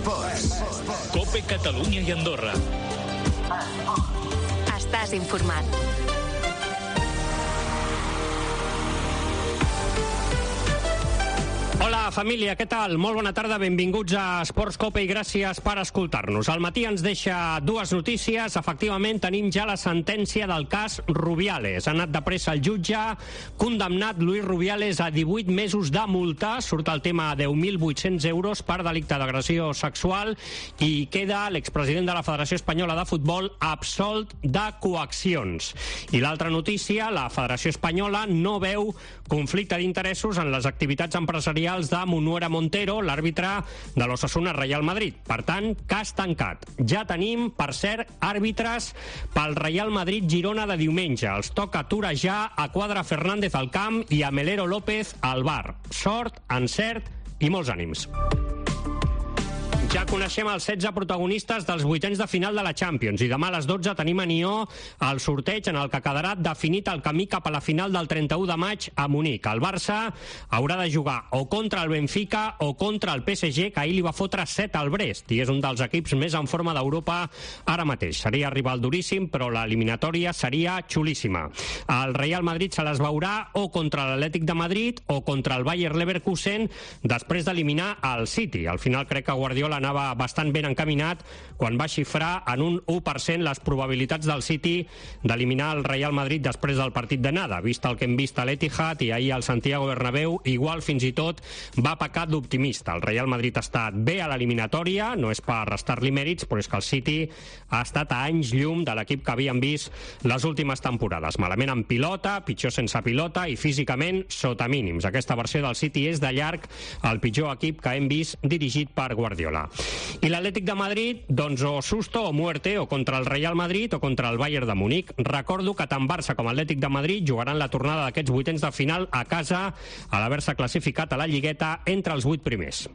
COPE Catalunya i Andorra. Estàs informat. Hola, família, què tal? Molt bona tarda, benvinguts a Esports Cope i gràcies per escoltar-nos. Al matí ens deixa dues notícies. Efectivament, tenim ja la sentència del cas Rubiales. Ha anat de pressa el jutge, condemnat Luis Rubiales a 18 mesos de multa. Surt el tema de 10.800 euros per delicte d'agressió sexual i queda l'expresident de la Federació Espanyola de Futbol absolt de coaccions. I l'altra notícia, la Federació Espanyola no veu conflicte d'interessos en les activitats empresarials de Munuera Montero, l'àrbitre de l'Osasuna Real Madrid. Per tant, cas tancat. Ja tenim, per cert, àrbitres pel Real Madrid-Girona de diumenge. Els toca torejar a Quadra Fernández al camp i a Melero López al bar. Sort, encert i molts ànims. Ja coneixem els 16 protagonistes dels vuitens de final de la Champions i demà a les 12 tenim a Nió el sorteig en el que quedarà definit el camí cap a la final del 31 de maig a Munic. El Barça haurà de jugar o contra el Benfica o contra el PSG, que ahir li va fotre 7 al Brest i és un dels equips més en forma d'Europa ara mateix. Seria rival duríssim, però l'eliminatòria seria xulíssima. El Real Madrid se les veurà o contra l'Atlètic de Madrid o contra el Bayer Leverkusen després d'eliminar el City. Al final crec que Guardiola anava bastant ben encaminat quan va xifrar en un 1% les probabilitats del City d'eliminar el Real Madrid després del partit d'anada. Vist el que hem vist a l'Etihad i ahir al Santiago Bernabéu, igual fins i tot va pecar d'optimista. El Real Madrid ha estat bé a l'eliminatòria, no és per restar-li mèrits, però és que el City ha estat a anys llum de l'equip que havíem vist les últimes temporades. Malament en pilota, pitjor sense pilota i físicament sota mínims. Aquesta versió del City és de llarg el pitjor equip que hem vist dirigit per Guardiola. I l'Atlètic de Madrid, doncs o susto o muerte, o contra el Real Madrid o contra el Bayern de Múnich. Recordo que tant Barça com Atlètic de Madrid jugaran la tornada d'aquests vuitens de final a casa a l'haver-se classificat a la Lligueta entre els 8 primers.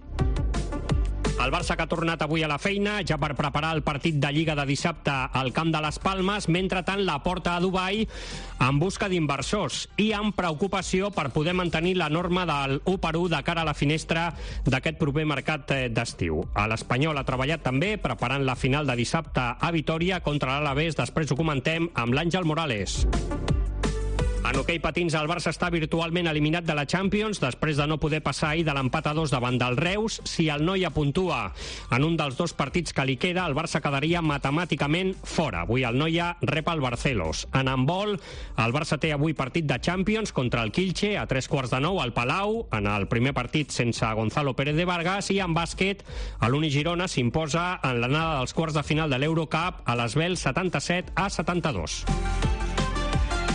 El Barça que ha tornat avui a la feina, ja per preparar el partit de Lliga de dissabte al camp de les Palmes, mentrestant la porta a Dubai en busca d'inversors i amb preocupació per poder mantenir la norma del 1-1 de cara a la finestra d'aquest proper mercat d'estiu. L'Espanyol ha treballat també preparant la final de dissabte a Vitòria contra l'Alavés. Després ho comentem amb l'Àngel Morales. En hoquei patins, el Barça està virtualment eliminat de la Champions després de no poder passar ahir de l'empat a 2 davant del Reus. Si el Noia puntua en un dels dos partits que li queda, el Barça quedaria matemàticament fora. Avui el Noia rep el Barcelos. En handbol, el Barça té avui partit de Champions contra el Kielce a 8:45 al Palau, en el primer partit sense Gonzalo Pérez de Vargas, i en bàsquet, l'Uni Girona s'imposa en l'anada dels quarts de final de l'Eurocup a l'Esbel 77-72.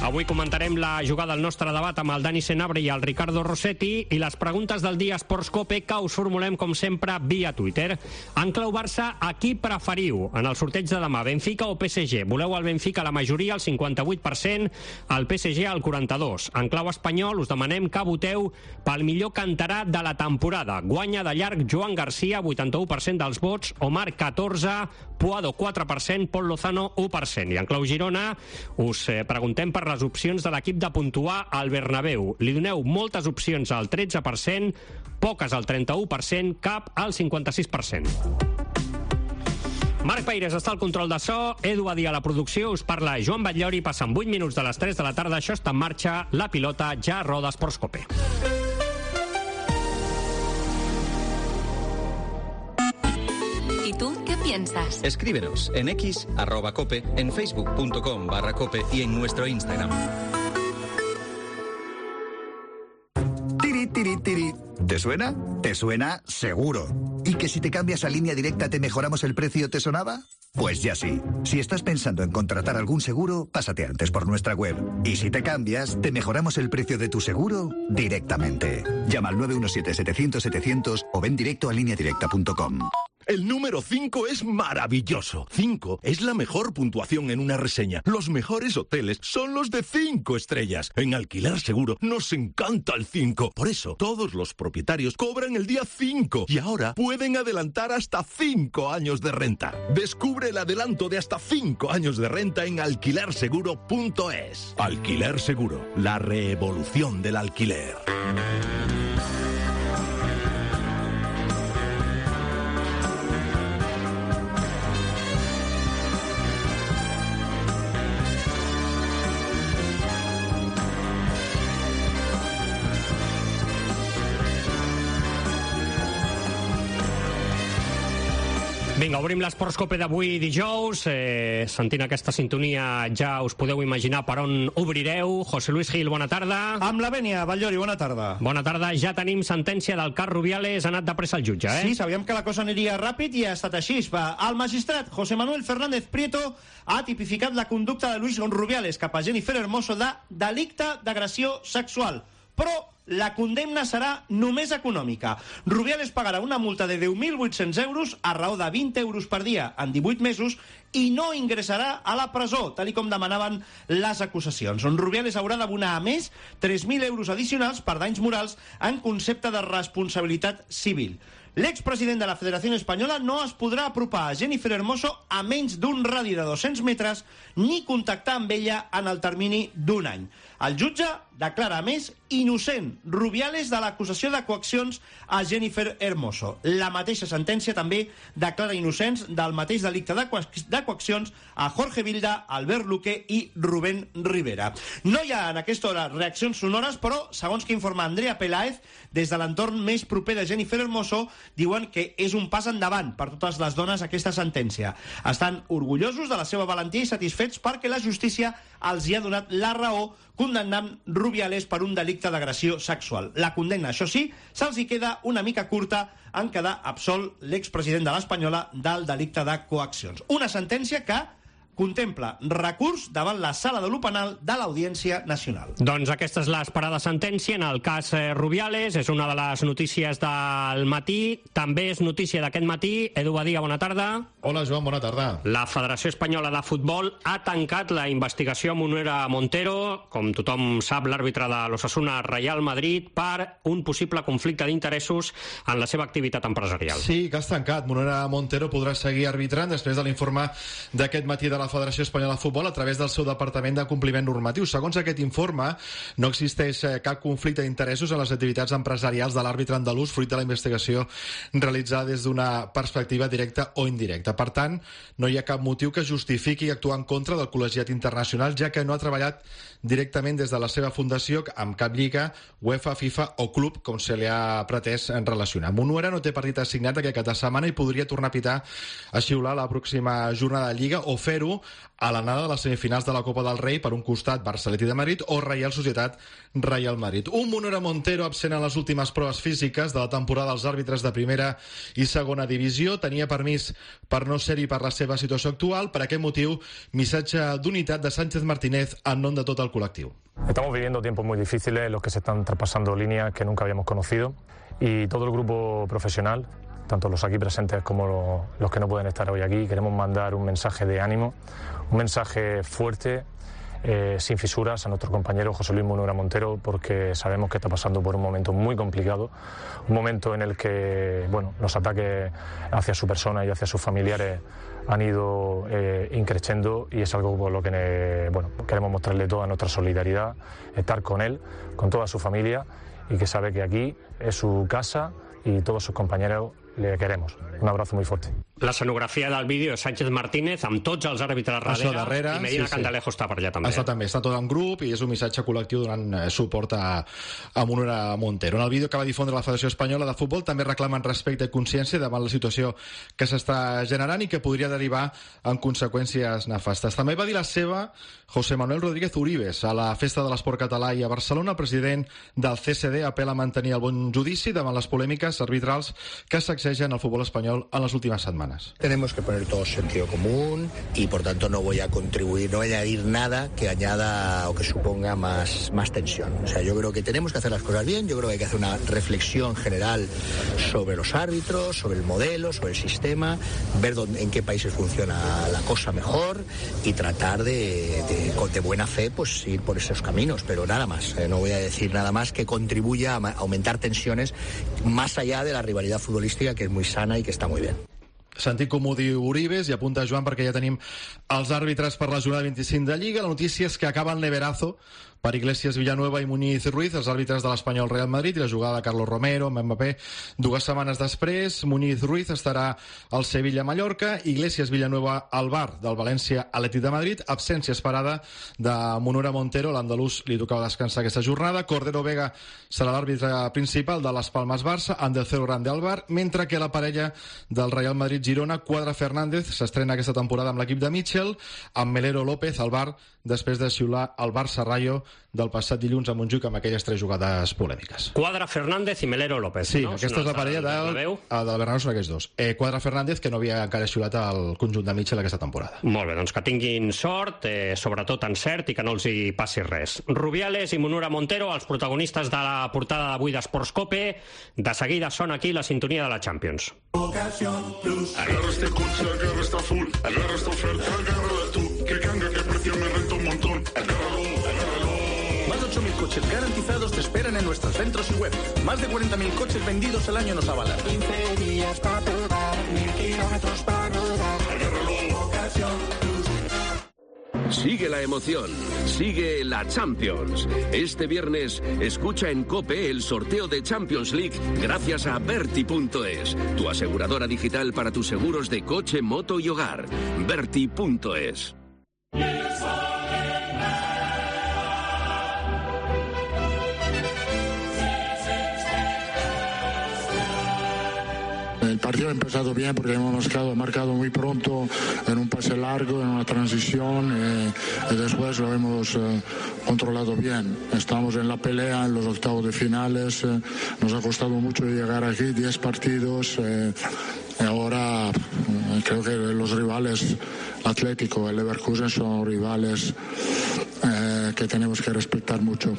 Avui comentarem la jugada al nostre debat amb el Dani Senabre i el Ricardo Rossetti i les preguntes del dia Esports Cope que us formulem, com sempre, via Twitter. En clau Barça, a qui preferiu en el sorteig de demà, Benfica o PSG? Voleu el Benfica la majoria, el 58%, el PSG el 42%. En clau espanyol, us demanem que voteu pel millor cantarà de la temporada. Guanya de llarg Joan Garcia, 81% dels vots, Omar 14%, Puado 4%, Pol Lozano 1%. I en clau Girona us preguntem per les opcions de l'equip de puntuar al Bernabéu. Li doneu moltes opcions al 13%, poques al 31%, cap al 56%. Marc Peires està al control de so, Edu Badí a la producció, us parla Joan Batllori, passen 8 minuts de les 3 de la tarda, això està en marxa, la pilota ja roda Esports Cope. ¿Y tú qué piensas? Escríbenos en X, @cope, en facebook.com/cope y en nuestro Instagram. Tiri, tiri, tiri. ¿Te suena? ¿Te suena? Seguro. ¿Y que si te cambias a Línea Directa te mejoramos el precio, te sonaba? Pues ya sí. Si estás pensando en contratar algún seguro, pásate antes por nuestra web. Y si te cambias, te mejoramos el precio de tu seguro directamente. Llama al 917-700-700 o ven directo a lineadirecta.com. El número 5 es maravilloso. 5 es la mejor puntuación en una reseña. Los mejores hoteles son los de 5 estrellas. En Alquiler Seguro nos encanta el 5. Por eso, todos los propietarios cobran el día 5 y ahora pueden adelantar hasta 5 años de renta. Descubre el adelanto de hasta 5 años de renta en alquilerseguro.es. Alquiler Seguro, la revolución del alquiler. Vinga, obrim l'Esports Cope d'avui dijous. Sentint aquesta sintonia ja us podeu imaginar per on obrireu. José Luis Gil, bona tarda. Amb la vènia, Batllori, bona tarda. Bona tarda. Ja tenim sentència del cas Rubiales. Ha anat de pressa el jutge, Sí, sabíem que la cosa aniria ràpid i ha estat així. El magistrat José Manuel Fernández Prieto ha tipificat la conducta de Luis Rubiales cap a Jennifer Hermoso de delicte d'agressió sexual. Però la condemna serà només econòmica. Rubiales pagarà una multa de 10.800 euros a raó de 20 euros per dia en 18 mesos i no ingressarà a la presó, tal com demanaven les acusacions. Rubiales haurà d'abonar a més 3.000 euros addicionals per danys morals en concepte de responsabilitat civil. L'expresident de la Federació Espanyola no es podrà apropar a Jennifer Hermoso a menys d'un radi de 200 metres ni contactar amb ella en el termini d'un any. El jutge declara, a més, innocent Rubiales de l'acusació de coaccions a Jennifer Hermoso. La mateixa sentència també declara innocents del mateix delicte de coaccions a Jorge Vilda, Albert Luque i Rubén Rivera. No hi ha en aquesta hora reaccions sonores, però, segons que informa Andrea Peláez, des de l'entorn més proper de Jennifer Hermoso, diuen que és un pas endavant per totes les dones aquesta sentència. Estan orgullosos de la seva valentia i satisfets perquè la justícia els hi ha donat la raó condemnant Rubiales per un delicte d'agressió sexual. La condemna, això sí, se'ls hi queda una mica curta en quedar absolt l'expresident de l'Espanyola del delicte de coaccions. Una sentència que contempla recurs davant la Sala de lo Penal de l'Audiència Nacional. Doncs aquesta és l'esperada sentència en el cas Rubiales. És una de les notícies del matí. També és notícia d'aquest matí. Edu Badia, bona tarda. Hola, Joan, bona tarda. La Federació Espanyola de Futbol ha tancat la investigació a Munera Montero, com tothom sap, l'àrbitre de l'Osasuna Real Madrid, per un possible conflicte d'interessos en la seva activitat empresarial. Sí, que has tancat. Munera Montero podrà seguir arbitrant després de l'informe d'aquest matí de la Federació Espanyola de Futbol a través del seu Departament de Compliment Normatiu. Segons aquest informe, no existeix cap conflicte d'interessos en les activitats empresarials de l'àrbitre andalús fruit de la investigació realitzada des d'una perspectiva directa o indirecta. Per tant, no hi ha cap motiu que justifiqui actuar en contra del col·legiat internacional, ja que no ha treballat directament des de la seva fundació amb cap lliga, UEFA, FIFA o club, com se li ha pretès relacionar. Munera no té partit assignat aquesta setmana i podria tornar a pitar a xiular la pròxima jornada de Lliga o fer-ho a l'anada de les semifinals de la Copa del Rei, per un costat Barça-Atlètic de Madrid o Reial Societat Real Madrid. Un Munera Montero absent en les últimes proves físiques de la temporada dels àrbitres de primera i segona divisió. Tenia permís per no ser-hi per la seva situació actual. Per aquest motiu, missatge d'unitat de Sánchez Martínez en nom de tot el col·lectiu. Estamos viviendo tiempos muy difíciles en los que se están traspasando líneas que nunca habíamos conocido y todo el grupo profesional, tanto los aquí presentes como los que no pueden estar hoy aquí, queremos mandar un mensaje de ánimo, un mensaje fuerte, sin fisuras, a nuestro compañero José Luis Munera Montero, porque sabemos que está pasando por un momento muy complicado, un momento en el que los ataques hacia su persona y hacia sus familiares han ido increciendo, y es algo por lo que queremos mostrarle toda nuestra solidaridad, estar con él, con toda su familia, y que sabe que aquí es su casa y todos sus compañeros le queremos. Un abrazo muy fuerte. L'escenografia del vídeo és Sánchez Martínez amb tots els àrbitres darrere i Medina Cantalejo està per allà també. Està tot en grup i és un missatge col·lectiu donant suport a Munera Montero. En el vídeo que va difondre la Federació Espanyola de Futbol també reclamen respecte i consciència davant la situació que s'està generant i que podria derivar en conseqüències nefastes. També va dir la seva José Manuel Rodríguez Uribes a la Festa de l'Esport Català i a Barcelona. El president del CSD apela a mantenir el bon judici davant les polèmiques arbitrals que sacsegen el futbol espanyol en les últimes setmanes. Tenemos que poner todo sentido común y por tanto no voy a contribuir, no voy a añadir nada que añada o que suponga más tensión. O sea, yo creo que tenemos que hacer las cosas bien, yo creo que hay que hacer una reflexión general sobre los árbitros, sobre el modelo, sobre el sistema, ver en qué países funciona la cosa mejor y tratar de buena fe pues ir por esos caminos, pero nada más. No voy a decir nada más que contribuya a aumentar tensiones más allá de la rivalidad futbolística, que es muy sana y que está muy bien. Sentit com ho diu Uribes, i apunta Joan perquè ja tenim els àrbitres per la jornada 25 de Lliga. La notícia és que acaba el neverazo per Iglesias, Villanueva i Muñiz Ruiz, els àrbitres de l'Espanyol Real Madrid, i la jugada de Carlos Romero amb Mbappé 2 setmanes després. Muñiz Ruiz estarà al Sevilla-Mallorca, Iglesias, Villanueva al VAR del València-Atlètic de Madrid, absència esperada de Munura Montero, l'andalús li tocava descansar aquesta jornada. Cordero Vega serà l'àrbitre principal de Las Palmas Barça, Andercero Grande al VAR, mentre que la parella del Real Madrid-Girona, Cuadra Fernández, s'estrena aquesta temporada amb l'equip de Mitchell, amb Melero López al VAR, després de xiular el Barça-Rayo del passat dilluns a Montjuïc amb aquelles 3 jugades polèmiques. Cuadra Fernández i Melero López. Sí, no? aquesta és la parella del Bernabéu, són aquests dos. Cuadra Fernández, que no havia encara xiulat al conjunt de Mitchell aquesta temporada. Molt bé, doncs que tinguin sort, sobretot encert, i que no els hi passi res. Rubiales i Munura Montero, els protagonistes de la portada d'avui d'Esports Cope. De seguida sona aquí la sintonia de la Champions. Agarra este coche, agarra esta full, agarra esta oferta, agárrala tú, que canga, que precio me renta un montón, agárralo, agárralo. Más de 8.000 coches garantizados te esperan en nuestros centros y web. Más de 40.000 coches vendidos al año nos avalan. 15 días para probar, 1.000 kilómetros para rodar. Agárralo. Ocasión Plus. Sigue la emoción, sigue la Champions. Este viernes escucha en COPE el sorteo de Champions League gracias a Berti.es, tu aseguradora digital para tus seguros de coche, moto y hogar. Berti.es. El partido ha empezado bien porque hemos marcado muy pronto en un pase largo, en una transición, y después lo hemos controlado bien. Estamos en la pelea en los octavos de finales, nos ha costado mucho llegar aquí, 10 partidos, y ahora creo que los rivales Atlético, el Leverkusen son rivales que tenemos que respetar mucho.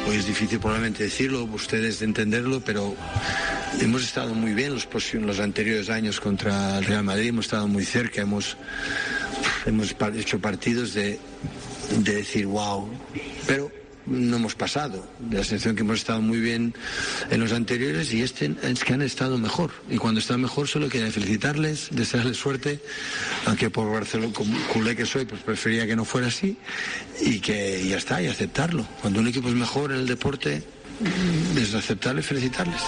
Hoy es difícil probablemente decirlo, ustedes de entenderlo, pero hemos estado muy bien los anteriores años contra el Real Madrid, hemos estado muy cerca, hemos hecho partidos de decir wow, pero no hemos pasado. La sensación que hemos estado muy bien en los anteriores y es que han estado mejor. Y cuando están mejor solo quería felicitarles, desearles suerte, aunque por Barcelona, como culé que soy, pues prefería que no fuera así y que ya está, y aceptarlo. Cuando un equipo es mejor en el deporte, es aceptarle y felicitarles.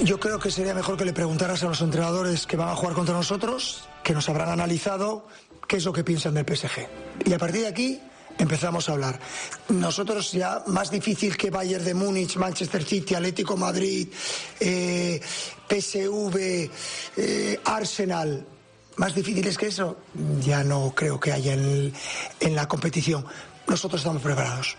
Yo creo que sería mejor que le preguntaras a los entrenadores que van a jugar contra nosotros, que nos habrán analizado qué es lo que piensan del PSG. Y a partir de aquí empezamos a hablar. Nosotros ya más difícil que Bayern de Múnich, Manchester City, Atlético Madrid, PSV, Arsenal, más difíciles que eso, ya no creo que haya en la competición. Nosotros estamos preparados.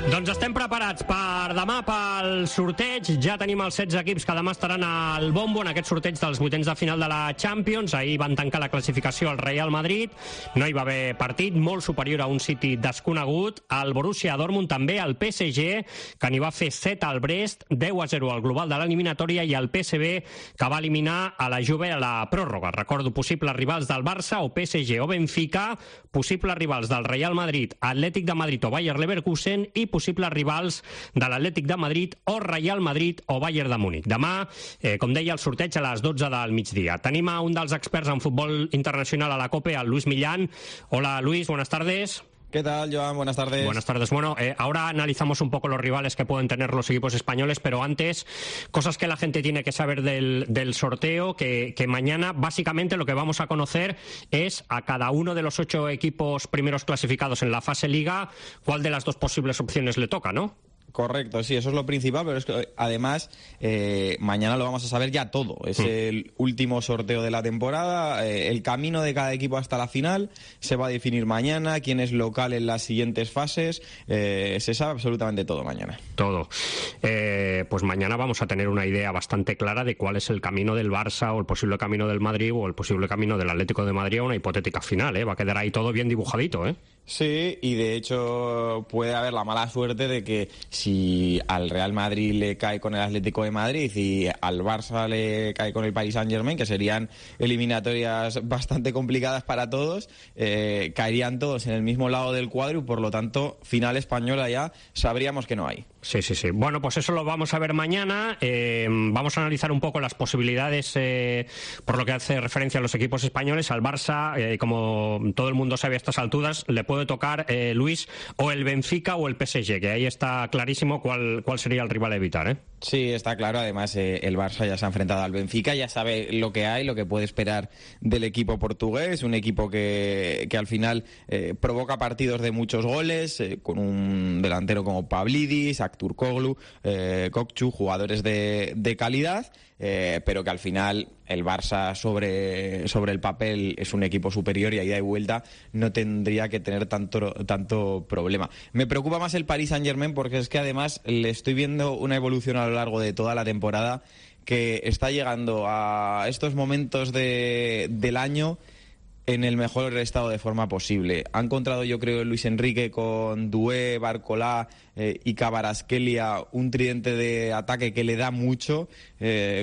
Doncs estem preparats per demà pel sorteig. Ja tenim els 16 equips que demà estaran al bombo en aquest sorteig dels vuitens de final de la Champions. Ahir van tancar la classificació al Real Madrid. No hi va haver partit, molt superior a un City desconegut. El Borussia Dortmund també, el PSG, que n'hi va fer 7 al Brest, 10-0 al global de l'eliminatòria, i el PSV, que va eliminar a la Juve a la pròrroga. Recordo, possibles rivals del Barça o PSG o Benfica, possibles rivals del Real Madrid, Atlètic de Madrid o Bayer Leverkusen, i possibles rivals de l'Atlètic de Madrid o Real Madrid o Bayern de Múnich. Demà, com deia, el sorteig a les 12 del migdia. Tenim a un dels experts en futbol internacional a la COPE, el Luis Millán. Hola, Luis, buenas tardes. ¿Qué tal, Joan? Buenas tardes. Buenas tardes. Bueno, ahora analizamos un poco los rivales que pueden tener los equipos españoles, pero antes, cosas que la gente tiene que saber del sorteo, que mañana básicamente lo que vamos a conocer es a cada uno de los 8 equipos primeros clasificados en la fase Liga, cuál de las dos posibles opciones le toca, ¿no? Correcto, sí, eso es lo principal, pero es que además mañana lo vamos a saber ya todo. Es el último sorteo de la temporada, el camino de cada equipo hasta la final se va a definir mañana, quién es local en las siguientes fases, se sabe absolutamente todo mañana. Todo. Pues mañana vamos a tener una idea bastante clara de cuál es el camino del Barça o el posible camino del Madrid o el posible camino del Atlético de Madrid a una hipotética final, ¿eh? Va a quedar ahí todo bien dibujadito, ¿eh? Sí, y de hecho puede haber la mala suerte de que si si al Real Madrid le cae con el Atlético de Madrid y al Barça le cae con el Paris Saint-Germain, que serían eliminatorias bastante complicadas para todos, caerían todos en el mismo lado del cuadro y por lo tanto final española ya sabríamos que no hay. Sí. Bueno, pues eso lo vamos a ver mañana. Vamos a analizar un poco las posibilidades por lo que hace referencia a los equipos españoles. Al Barça, como todo el mundo sabe a estas alturas, le puede tocar, Luis, o el Benfica o el PSG, que ahí está clarísimo cuál sería el rival a evitar, ¿eh? Sí, está claro. Además, el Barça ya se ha enfrentado al Benfica, ya sabe lo que hay, lo que puede esperar del equipo portugués. Un equipo que al final provoca partidos de muchos goles, con un delantero como Pavlidis, Turkoglu, Kokchu, jugadores de calidad, pero que al final el Barça sobre el papel es un equipo superior y a ida y vuelta no tendría que tener tanto problema. Me preocupa más el Paris Saint-Germain porque es que además le estoy viendo una evolución a lo largo de toda la temporada que está llegando a estos momentos del año en el mejor estado de forma posible. Ha encontrado, yo creo, Luis Enrique con Doué, Barcolá y Kvaratskhelia un tridente de ataque que le da mucho,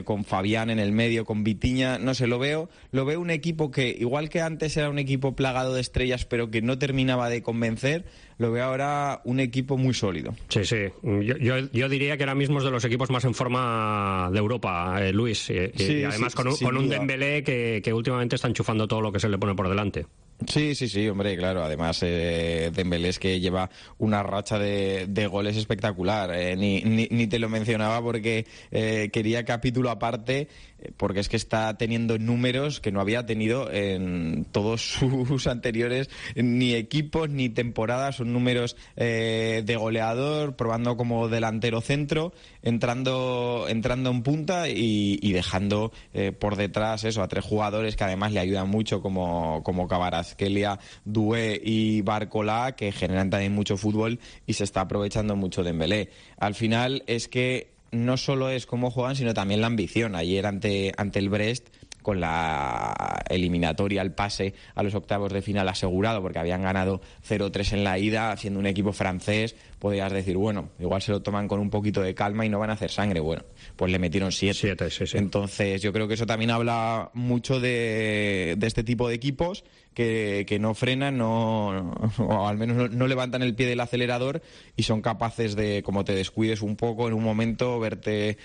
con Fabián en el medio, con Vitinha, no sé, lo veo un equipo que, igual que antes era un equipo plagado de estrellas pero que no terminaba de convencer, lo veo ahora un equipo muy sólido. Sí. Yo diría que ahora mismo es de los equipos más en forma de Europa, Luis. Y además con un Dembélé que últimamente está enchufando todo lo que se le pone por delante. Sí, hombre, claro. Además, Dembélé es que lleva una racha de goles espectacular. Ni te lo mencionaba porque quería capítulo aparte, porque es que está teniendo números que no había tenido en todos sus anteriores ni equipos ni temporadas. Son números de goleador, probando como delantero centro, entrando en punta y dejando por detrás eso a tres jugadores que además le ayudan mucho como Kvaratskhelia, Doué y Barcolá, que generan también mucho fútbol y se está aprovechando mucho Dembélé. Al final es que no solo es cómo juegan, sino también la ambición. Ayer ante el Brest, con la eliminatoria, el pase a los octavos de final asegurado, porque habían ganado 0-3 en la ida, siendo un equipo francés, podrías decir, bueno, igual se lo toman con un poquito de calma y no van a hacer sangre. Bueno, pues le metieron 7. Sí. Entonces yo creo que eso también habla mucho de este tipo de equipos que no frenan, o al menos no levantan el pie del acelerador y son capaces de, como te descuides un poco en un momento, verte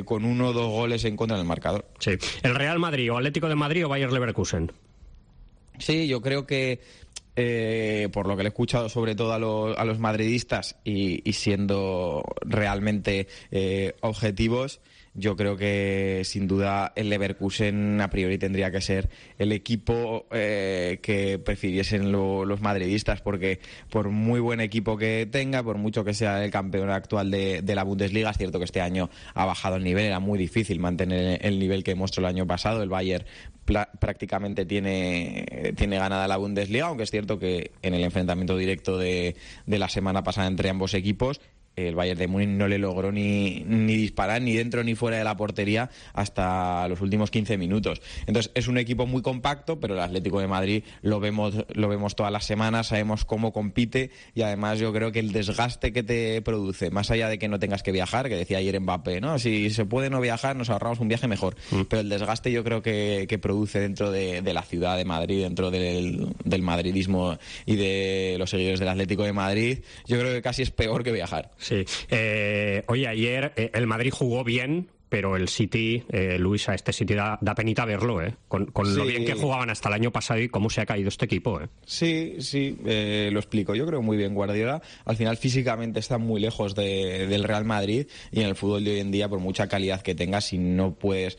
con 1 o 2 goles en contra del marcador. Sí. ¿El Real Madrid o Atlético de Madrid o Bayer Leverkusen? Sí, yo creo que por lo que le he escuchado sobre todo a los madridistas y siendo realmente objetivos, yo creo que sin duda el Leverkusen a priori tendría que ser el equipo que prefiriesen los madridistas, porque por muy buen equipo que tenga, por mucho que sea el campeón actual de la Bundesliga, es cierto que este año ha bajado el nivel, era muy difícil mantener el nivel que mostró el año pasado. El Bayern prácticamente tiene ganada la Bundesliga, aunque es cierto que en el enfrentamiento directo de la semana pasada entre ambos equipos, el Bayern de Múnich no le logró ni disparar ni dentro ni fuera de la portería hasta los últimos 15 minutos. Entonces es un equipo muy compacto, pero el Atlético de Madrid lo vemos todas las semanas, sabemos cómo compite y además yo creo que el desgaste que te produce, más allá de que no tengas que viajar, que decía ayer Mbappé, ¿no? Si se puede no viajar, nos ahorramos un viaje mejor. Pero el desgaste yo creo que produce dentro de la ciudad de Madrid, dentro del madridismo y de los seguidores del Atlético de Madrid, yo creo que casi es peor que viajar. Sí. Oye, ayer el Madrid jugó bien, pero el City, Luis, a este City da penita verlo, con lo bien que jugaban hasta el año pasado y cómo se ha caído este equipo. Sí, lo explico. Yo creo muy bien Guardiola. Al final físicamente está muy lejos del Real Madrid y en el fútbol de hoy en día, por mucha calidad que tengas, si no puedes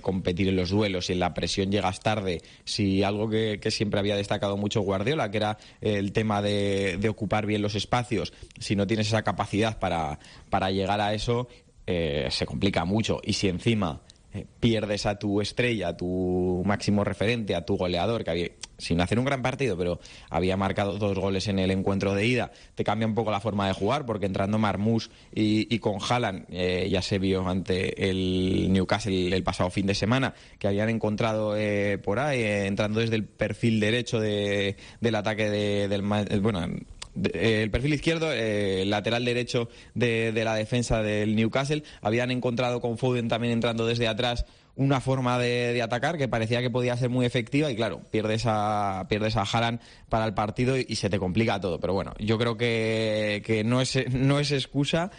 competir en los duelos, si en la presión llegas tarde, si algo que siempre había destacado mucho Guardiola, que era el tema de ocupar bien los espacios, si no tienes esa capacidad para llegar a eso, se complica mucho. Y si encima pierdes a tu estrella, a tu máximo referente, a tu goleador, que había, sin hacer un gran partido, pero había marcado 2 goles en el encuentro de ida, te cambia un poco la forma de jugar, porque entrando Marmoush y con Haaland, ya se vio ante el Newcastle el pasado fin de semana, que habían encontrado por ahí, entrando desde el perfil derecho del ataque el perfil izquierdo, lateral derecho de la defensa del Newcastle. Habían encontrado con Foden también entrando desde atrás una forma de atacar que parecía que podía ser muy efectiva y claro, pierdes a Haaland para el partido y se te complica todo. Pero bueno, yo creo que no es excusa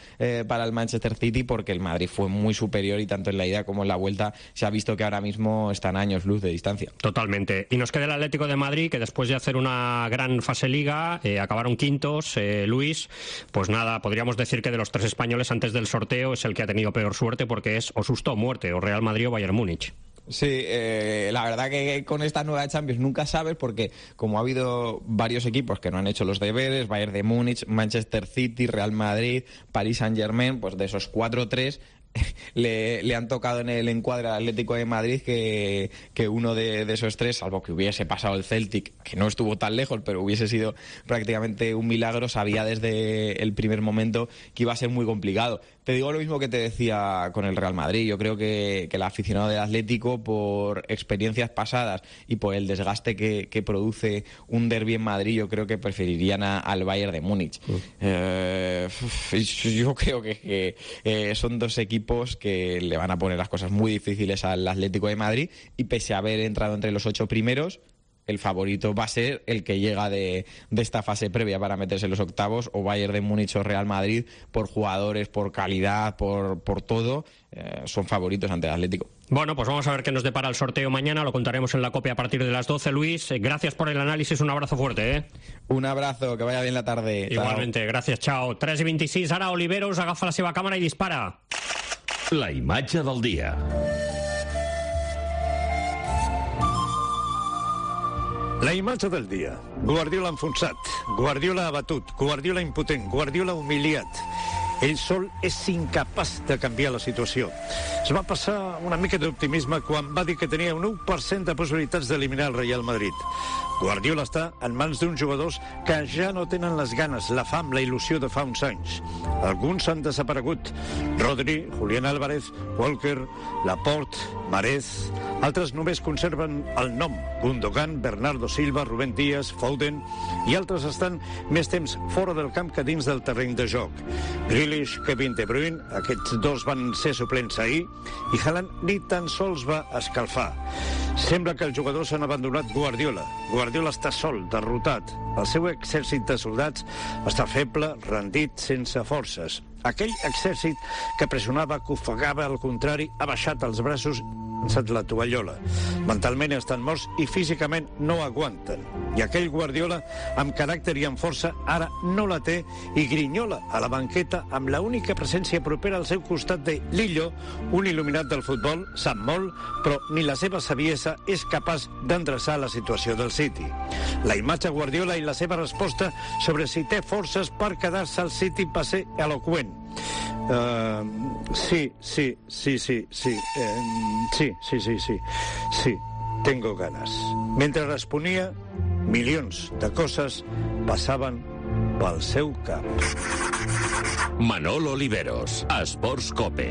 para el Manchester City, porque el Madrid fue muy superior y tanto en la ida como en la vuelta se ha visto que ahora mismo están a años luz de distancia. Totalmente. Y nos queda el Atlético de Madrid, que después de hacer una gran fase liga, acabaron quintos. Luis, pues nada, podríamos decir que de los 3 españoles antes del sorteo es el que ha tenido peor suerte, porque es o susto o muerte, o Real Madrid o Bayern Múnich. Sí, la verdad que con esta nueva Champions nunca sabes, porque como ha habido varios equipos que no han hecho los deberes, Bayern de Múnich, Manchester City, Real Madrid, Paris Saint-Germain, pues de esos 4-3 le han tocado en el encuadre al Atlético de Madrid que uno de esos 3, salvo que hubiese pasado el Celtic, que no estuvo tan lejos, pero hubiese sido prácticamente un milagro, sabía desde el primer momento que iba a ser muy complicado. Te digo lo mismo que te decía con el Real Madrid. Yo creo que el aficionado del Atlético, por experiencias pasadas y por el desgaste que produce un derbi en Madrid, yo creo que preferirían al Bayern de Múnich. Yo creo que son 2 equipos que le van a poner las cosas muy difíciles al Atlético de Madrid, y pese a haber entrado entre los 8 primeros, el favorito va a ser el que llega de esta fase previa para meterse en los octavos, o Bayern de Múnich o Real Madrid, por jugadores, por calidad, por todo, son favoritos ante el Atlético. Bueno, pues vamos a ver qué nos depara el sorteo mañana, lo contaremos en la COPE a partir de las 12. Luis, gracias por el análisis, un abrazo fuerte. Un abrazo, que vaya bien la tarde. Igualmente, chao. Gràcies, chao. 3:26, ara Oliveros agafa la seva càmera i dispara. La imatge del dia. La imatge del dia. Guardiola enfonsat, Guardiola abatut, Guardiola impotent, Guardiola humiliat. Ell sol és incapaç de canviar la situació. Es va passar una mica d'optimisme quan va dir que tenia un 1% de possibilitats d'eliminar el Real Madrid. Guardiola està en mans d'uns jugadors que ja no tenen les ganes, la fam, la il·lusió de fa uns anys. Alguns han desaparegut. Rodri, Julián Álvarez, Walker, Laporte, Marez. Altres només conserven el nom. Gundogan, Bernardo Silva, Rubén Díaz, Foden. I altres estan més temps fora del camp que dins del terreny de joc. Grealish, Kevin De Bruyne, aquests 2 van ser suplents ahir, i Haaland ni tan sols va escalfar. Sembla que els jugadors han abandonat Guardiola. Guardiola està sol, derrotat. El seu exèrcit de soldats està feble, rendit, sense forces. Aquell exèrcit que pressionava, que ofegava al contrari, ha baixat els braços i llançat la tovallola. Mentalment estan morts i físicament no aguanten. I aquell Guardiola, amb caràcter i amb força, ara no la té i grinyola a la banqueta amb la única presència propera al seu costat de Lillo, un il·luminat del futbol, sap molt, però ni la seva saviesa és capaç d'endreçar la situació del City. La imatge Guardiola i la seva resposta sobre si té forces per quedar-se al City va ser eloqüent. Sí, tengo ganas. Mentre responia, milions de coses passaven pel seu cap. Manolo Oliveros, Esports COPE.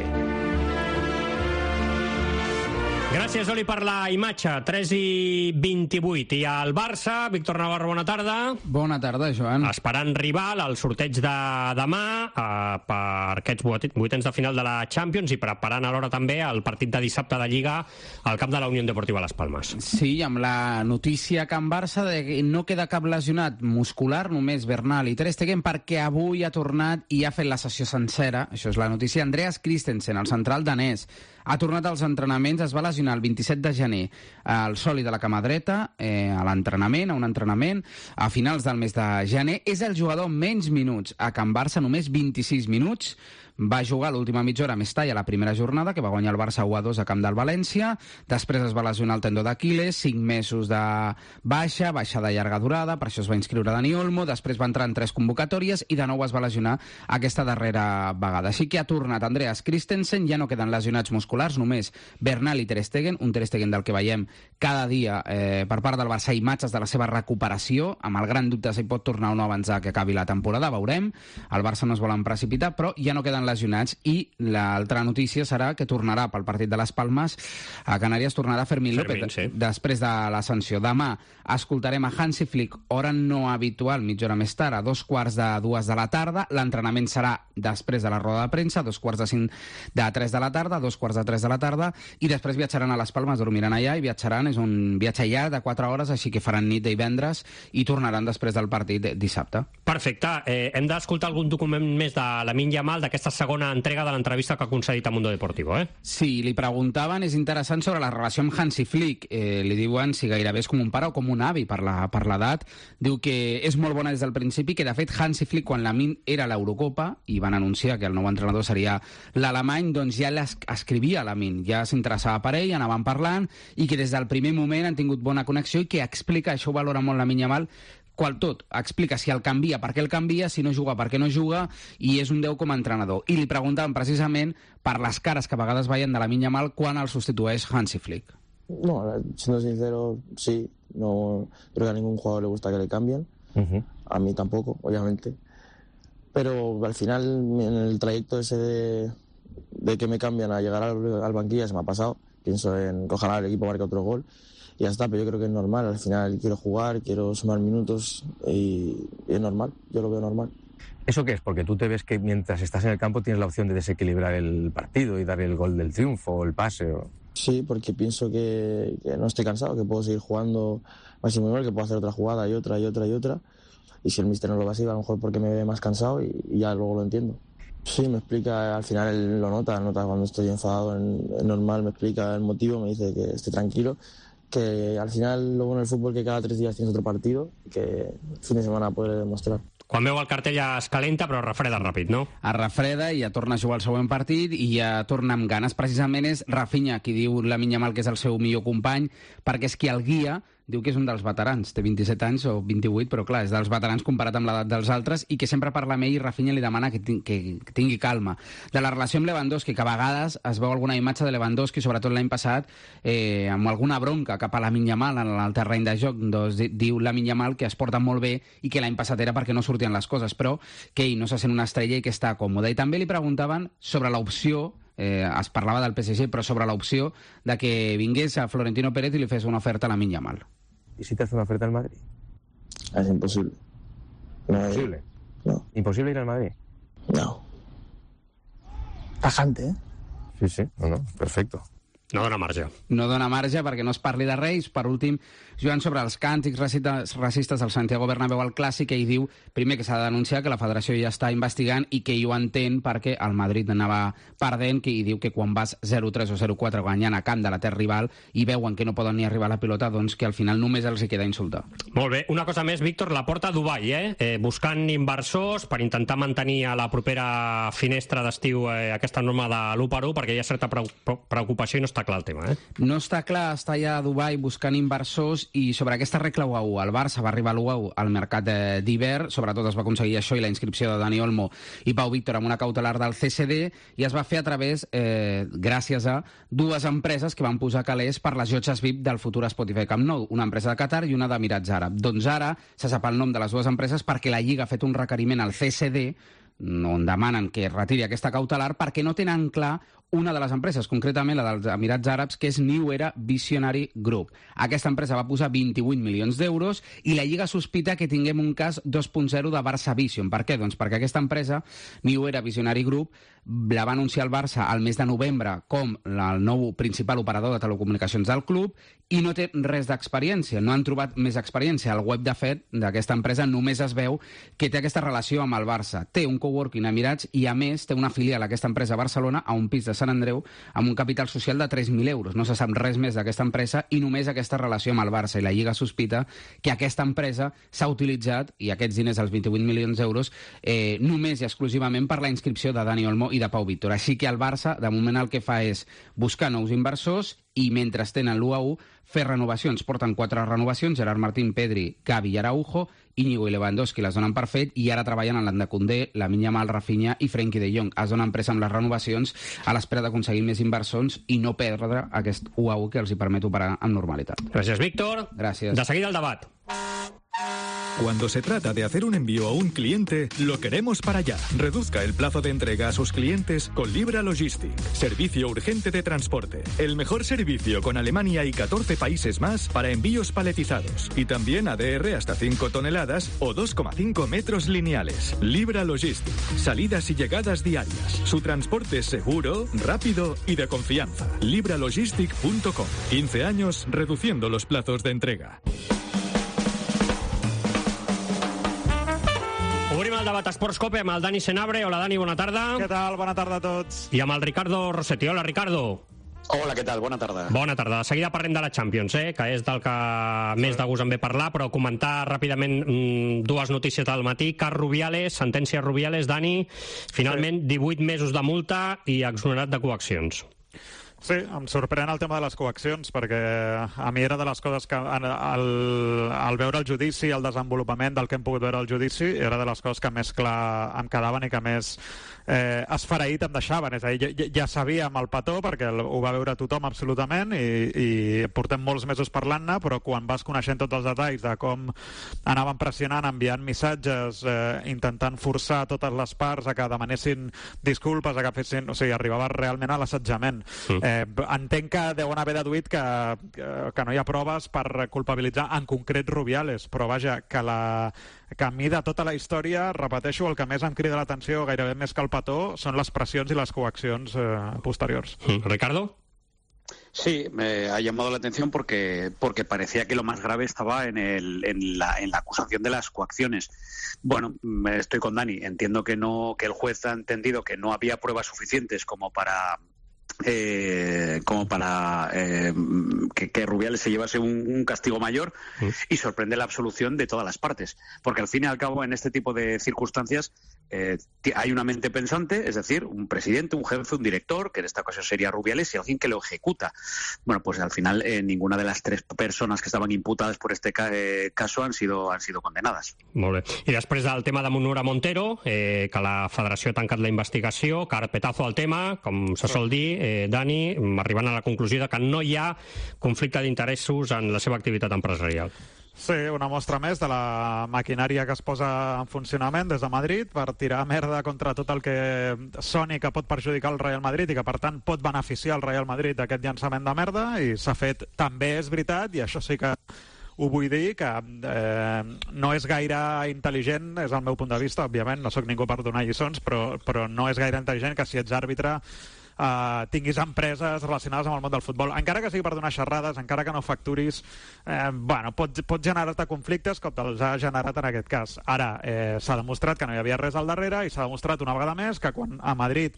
Gràcies, Oli, per la imatge. 3:28. I al Barça, Víctor Navarro, bona tarda. Bona tarda, Joan. Esperant rival al sorteig de demà per aquests vuitens de final de la Champions i preparant alhora també el partit de dissabte de Lliga al camp de la Unió Deportiva Las Palmes. Sí, amb la notícia que en Barça de que no queda cap lesionat muscular, només Bernal i Ter Stegen, perquè avui ha tornat i ha fet la sessió sencera. Això és la notícia. Andreas Christensen, el central danès, ha tornat als entrenaments, es va lesionar el 27 de gener al sòlid de la cama dreta, a l'entrenament, a un entrenament, a finals del mes de gener. És el jugador amb menys minuts a Can Barça, només 26 minuts. Va jugar l'última mitja hora a Mestalla a la primera jornada, que va guanyar el Barça 1-2 a camp del València. Després es va lesionar el tendó d'Aquiles, 5 mesos de baixa de llarga durada, per això es va inscriure Dani Olmo, després va entrar en 3 convocatòries i de nou es va lesionar aquesta darrera vegada. Així que ha tornat Andreas Christensen, ja no queden lesionats musculars, només Bernal i Ter Stegen, un Ter Stegen del que veiem cada dia per part del Barça imatges de la seva recuperació, amb el gran dubte si pot tornar o no abans que acabi la temporada, veurem. El Barça no es volen precipitar, però ja no queden estan lesionats. I l'altra notícia serà que tornarà pel partit de les Palmes a Canàries, tornarà Fermín López, després de la sanció. Demà escoltarem a Hansi Flick, hora no habitual, mitja hora més tard, a 2:45 de la tarda. L'entrenament serà després de la roda de premsa, 2:45 de 3 de la tarda, 2:45 de la tarda, i després viatjaran a les Palmes, dormiran allà i viatjaran. És un viatge llarg de 4 hores, així que faran nit de divendres i tornaran després del partit dissabte. Perfecte. Hem d'escoltar algun document més de Lamine Yamal, d'aquesta segona entrega de l'entrevista que ha concedit a Mundo Deportivo, Sí, li preguntaven, és interessant, sobre la relació amb Hansi Flick. Li diuen si gairebé és com un pare o com un avi per l'edat. Diu que és molt bona des del principi, que de fet Hansi Flick, quan Lamine era a l'Eurocopa i van anunciar que el nou entrenador seria l'alemany, doncs ja l'escrivia a Lamine, ja s'interessava per ell, anaven parlant, i que des del primer moment han tingut bona connexió i que explica, això ho valora molt Lamine Yamal, explica si el canvia, per què el canvia, si no juga, per què no juga, i és un 10 com a entrenador. I li preguntaven precisament per les cares que a vegades veien de Lamine Yamal quan el substitueix Hansi Flick. No, siendo sincero, sí, no creo que a ningún jugador le gusta que le cambien, a mí tampoco, obviamente, pero al final en el trayecto ese de que me cambian a llegar al banquillo se me ha pasado, pienso en que ojalá el equipo marque otro gol y ya está, pero yo creo que es normal, al final quiero jugar, quiero sumar minutos y es normal, yo lo veo normal. ¿Eso qué es? Porque tú te ves que mientras estás en el campo tienes la opción de desequilibrar el partido y dar el gol del triunfo o el pase. Sí, porque pienso que no estoy cansado, que puedo seguir jugando máximo nivel, que puedo hacer otra jugada y otra. Y si el míster no lo va así, a lo mejor porque me ve más cansado y ya luego lo entiendo. Sí, me explica, al final él lo nota cuando estoy enfadado, es normal, me explica el motivo, me dice que esté tranquilo, que al final lo bueno del fútbol es que cada 3 días tienes otro partido, que el fin de semana puede demostrar. Quan veu el cartell ja es calenta, però refreda ràpid, no? Es refreda i ja torna a jugar el següent partit i ja torna amb ganes. Precisament és Rafinha qui diu Lamine Yamal que és el seu millor company, perquè és qui el guia. Diu que és un dels veterans, té 27 anys o 28, però clar, és dels veterans comparat amb l'edat dels altres, i que sempre parla amb ell i Rafinha li demana que tingui calma. De la relació amb Lewandowski, que a vegades es veu alguna imatge de Lewandowski, sobretot l'any passat, amb alguna bronca cap a Lamine Yamal en el terreny de joc, doncs diu Lamine Yamal que es porta molt bé i que l'any passat era perquè no sortien les coses, però que ell no se sent una estrella i que està còmode. I també li preguntaven sobre l'opció, es parlava del PSG, però sobre l'opció de que vingués a Florentino Pérez i li fes una oferta a Lamine Yamal. ¿Y si te hace una oferta al Madrid? Es imposible. ¿Imposible? No. ¿Imposible ir al Madrid? No. Tajante, Sí, no, perfecto. No dona marge. No dona marge perquè no es parli de Reis. Per últim, Joan, sobre els càntics racistes del Santiago Bernabéu al Clàssic, ell diu, primer, que s'ha de denunciar, que la federació ja està investigant i que ell ho entén perquè el Madrid anava perdent, i diu que quan vas 0-3 o 0-4 guanyant a camp de la terra rival i veuen que no poden ni arribar a la pilota, doncs que al final només els hi queda insultar. Molt bé. Una cosa més, Víctor, la porta a Dubai, buscant inversors per intentar mantenir a la propera finestra d'estiu aquesta norma de l'1/1, perquè hi ha certa preocupació i no està clar el tema, No està clar, està allà a Dubai buscant inversors, i sobre aquesta regla 1-1, el Barça va arribar a l'1-1 al mercat d'hivern, sobretot es va aconseguir això i la inscripció de Dani Olmo i Pau Víctor amb una cautelar del CCD, i es va fer a través, gràcies a dues empreses que van posar calés per les llotges VIP del futur Spotify Camp Nou, una empresa de Qatar i una d'Emirats Àrabs. Doncs ara se sap el nom de les dues empreses perquè la Lliga ha fet un requeriment al CCD on demanen que retiri aquesta cautelar perquè no tenen clar una de les empreses, concretament la dels Emirats Àrabs, que és New Era Visionary Group. Aquesta empresa va posar 28 milions d'euros i la Lliga sospita que tinguem un cas 2.0 de Barça Vision. Per què? Doncs perquè aquesta empresa, New Era Visionary Group, la va anunciar el Barça al mes de novembre com el nou principal operador de telecomunicacions del club i no té res d'experiència, no han trobat més experiència. Al web, de fet, d'aquesta empresa només es veu que té aquesta relació amb el Barça. Té un coworking a Emirats i, a més, té una filial a aquesta empresa a Barcelona, a un pis de Sant Andreu, amb un capital social de 3.000 euros. No se sap res més d'aquesta empresa i només aquesta relació amb el Barça. I la Lliga sospita que aquesta empresa s'ha utilitzat, i aquests diners, els 28 milions d'euros, només i exclusivament per la inscripció de Dani Olmo i de Pau Víctor. Així que el Barça, de moment, el que fa és buscar nous inversors i, mentre tenen l'1-1, fer renovacions. Porten 4 renovacions: Gerard Martín, Pedri, Gavi i Araujo. Íñigo i Lewandowski les donen per fet i ara treballen en l'Anda Koundé, Lamine Yamal, Rafinha i Frenkie de Jong. Es donen pressa amb les renovacions a l'espera d'aconseguir més inversors i no perdre aquest 1-1 que els hi permet operar amb normalitat. Gràcies, Víctor. Gràcies. De seguida el debat. Cuando se trata de hacer un envío a un cliente, lo queremos para allá. Reduzca el plazo de entrega a sus clientes con Libra Logistic. Servicio urgente de transporte. El mejor servicio con Alemania y 14 países más para envíos paletizados. Y también ADR hasta 5 toneladas o 2,5 metros lineales. Libra Logistic. Salidas y llegadas diarias. Su transporte es seguro, rápido y de confianza. libralogistic.com. 15 años reduciendo los plazos de entrega. Obrim el debat Esports Cope amb el Dani Senabre. Hola, Dani, bona tarda. Què tal? Bona tarda a tots. I amb el Ricardo Rossetti. Hola, Ricardo. Hola, què tal? Bona tarda. Bona tarda. De seguida parlem de la Champions, que és del que més de gust em ve parlar, però comentar ràpidament dues notícies del matí. Cas Rubiales, sentència Rubiales, Dani, finalment 18 mesos de multa i exonerat de coaccions. Sí, em sorprèn el tema de les coaccions, perquè a mi era de les coses que al veure el judici, el desenvolupament del que hem pogut veure al judici, era de les coses que més clar em quedaven i que més esfereït em deixaven. És a dir, ja sabíem el petó, perquè ho va veure tothom absolutament, i portem molts mesos parlant-ne, però quan vas coneixent tots els detalls de com anaven pressionant, enviant missatges, intentant forçar totes les parts a que demanessin disculpes, a que fessin... O sigui, arribava realment a l'assetjament. Entenc que deuen haver deduït que no hi ha proves per culpabilitzar en concret Rubiales, però vaja, que a mi de tota la història, repeteixo, el que més em crida l'atenció, gairebé més que el petó, són les pressions i les coaccions posteriors. Ricardo? Sí, me ha llamado la atención porque parecía que lo más grave estaba en la acusación de las coacciones. Bueno, estoy con Dani. Entiendo que el juez ha entendido que no había pruebas suficientes como para que Rubiales se llevase un castigo mayor, y sorprende la absolución de todas las partes, porque al fin y al cabo en este tipo de circunstancias hay una mente pensante, es decir, un presidente, un jefe, un director, que en esta ocasión sería Rubiales, y alguien que lo ejecuta. Bueno, pues al final ninguna de las tres personas que estaban imputadas por este caso han sido condenadas. Molt bé. I després del tema de Munura Montero, que la Federació ha tancat la investigació, carpetazo al tema, com se sol dir, Dani, arribant a la conclusió de que no hi ha conflicte d'interessos en la seva activitat empresarial. Sí, una mostra més de la maquinària que es posa en funcionament des de Madrid per tirar merda contra tot el que soni que pot perjudicar el Real Madrid i que, per tant, pot beneficiar el Real Madrid d'aquest llançament de merda, i s'ha fet, també és veritat, i això sí que ho vull dir, que no és gaire intel·ligent, és el meu punt de vista, òbviament, no sóc ningú per donar lliçons, però no és gaire intel·ligent que si ets àrbitre tinguis empreses relacionades amb el món del futbol, encara que sigui per donar xerrades, encara que no facturis, pot generar-te conflictes com els ha generat en aquest cas. Ara, s'ha demostrat que no hi havia res al darrere, i s'ha demostrat una vegada més que quan a Madrid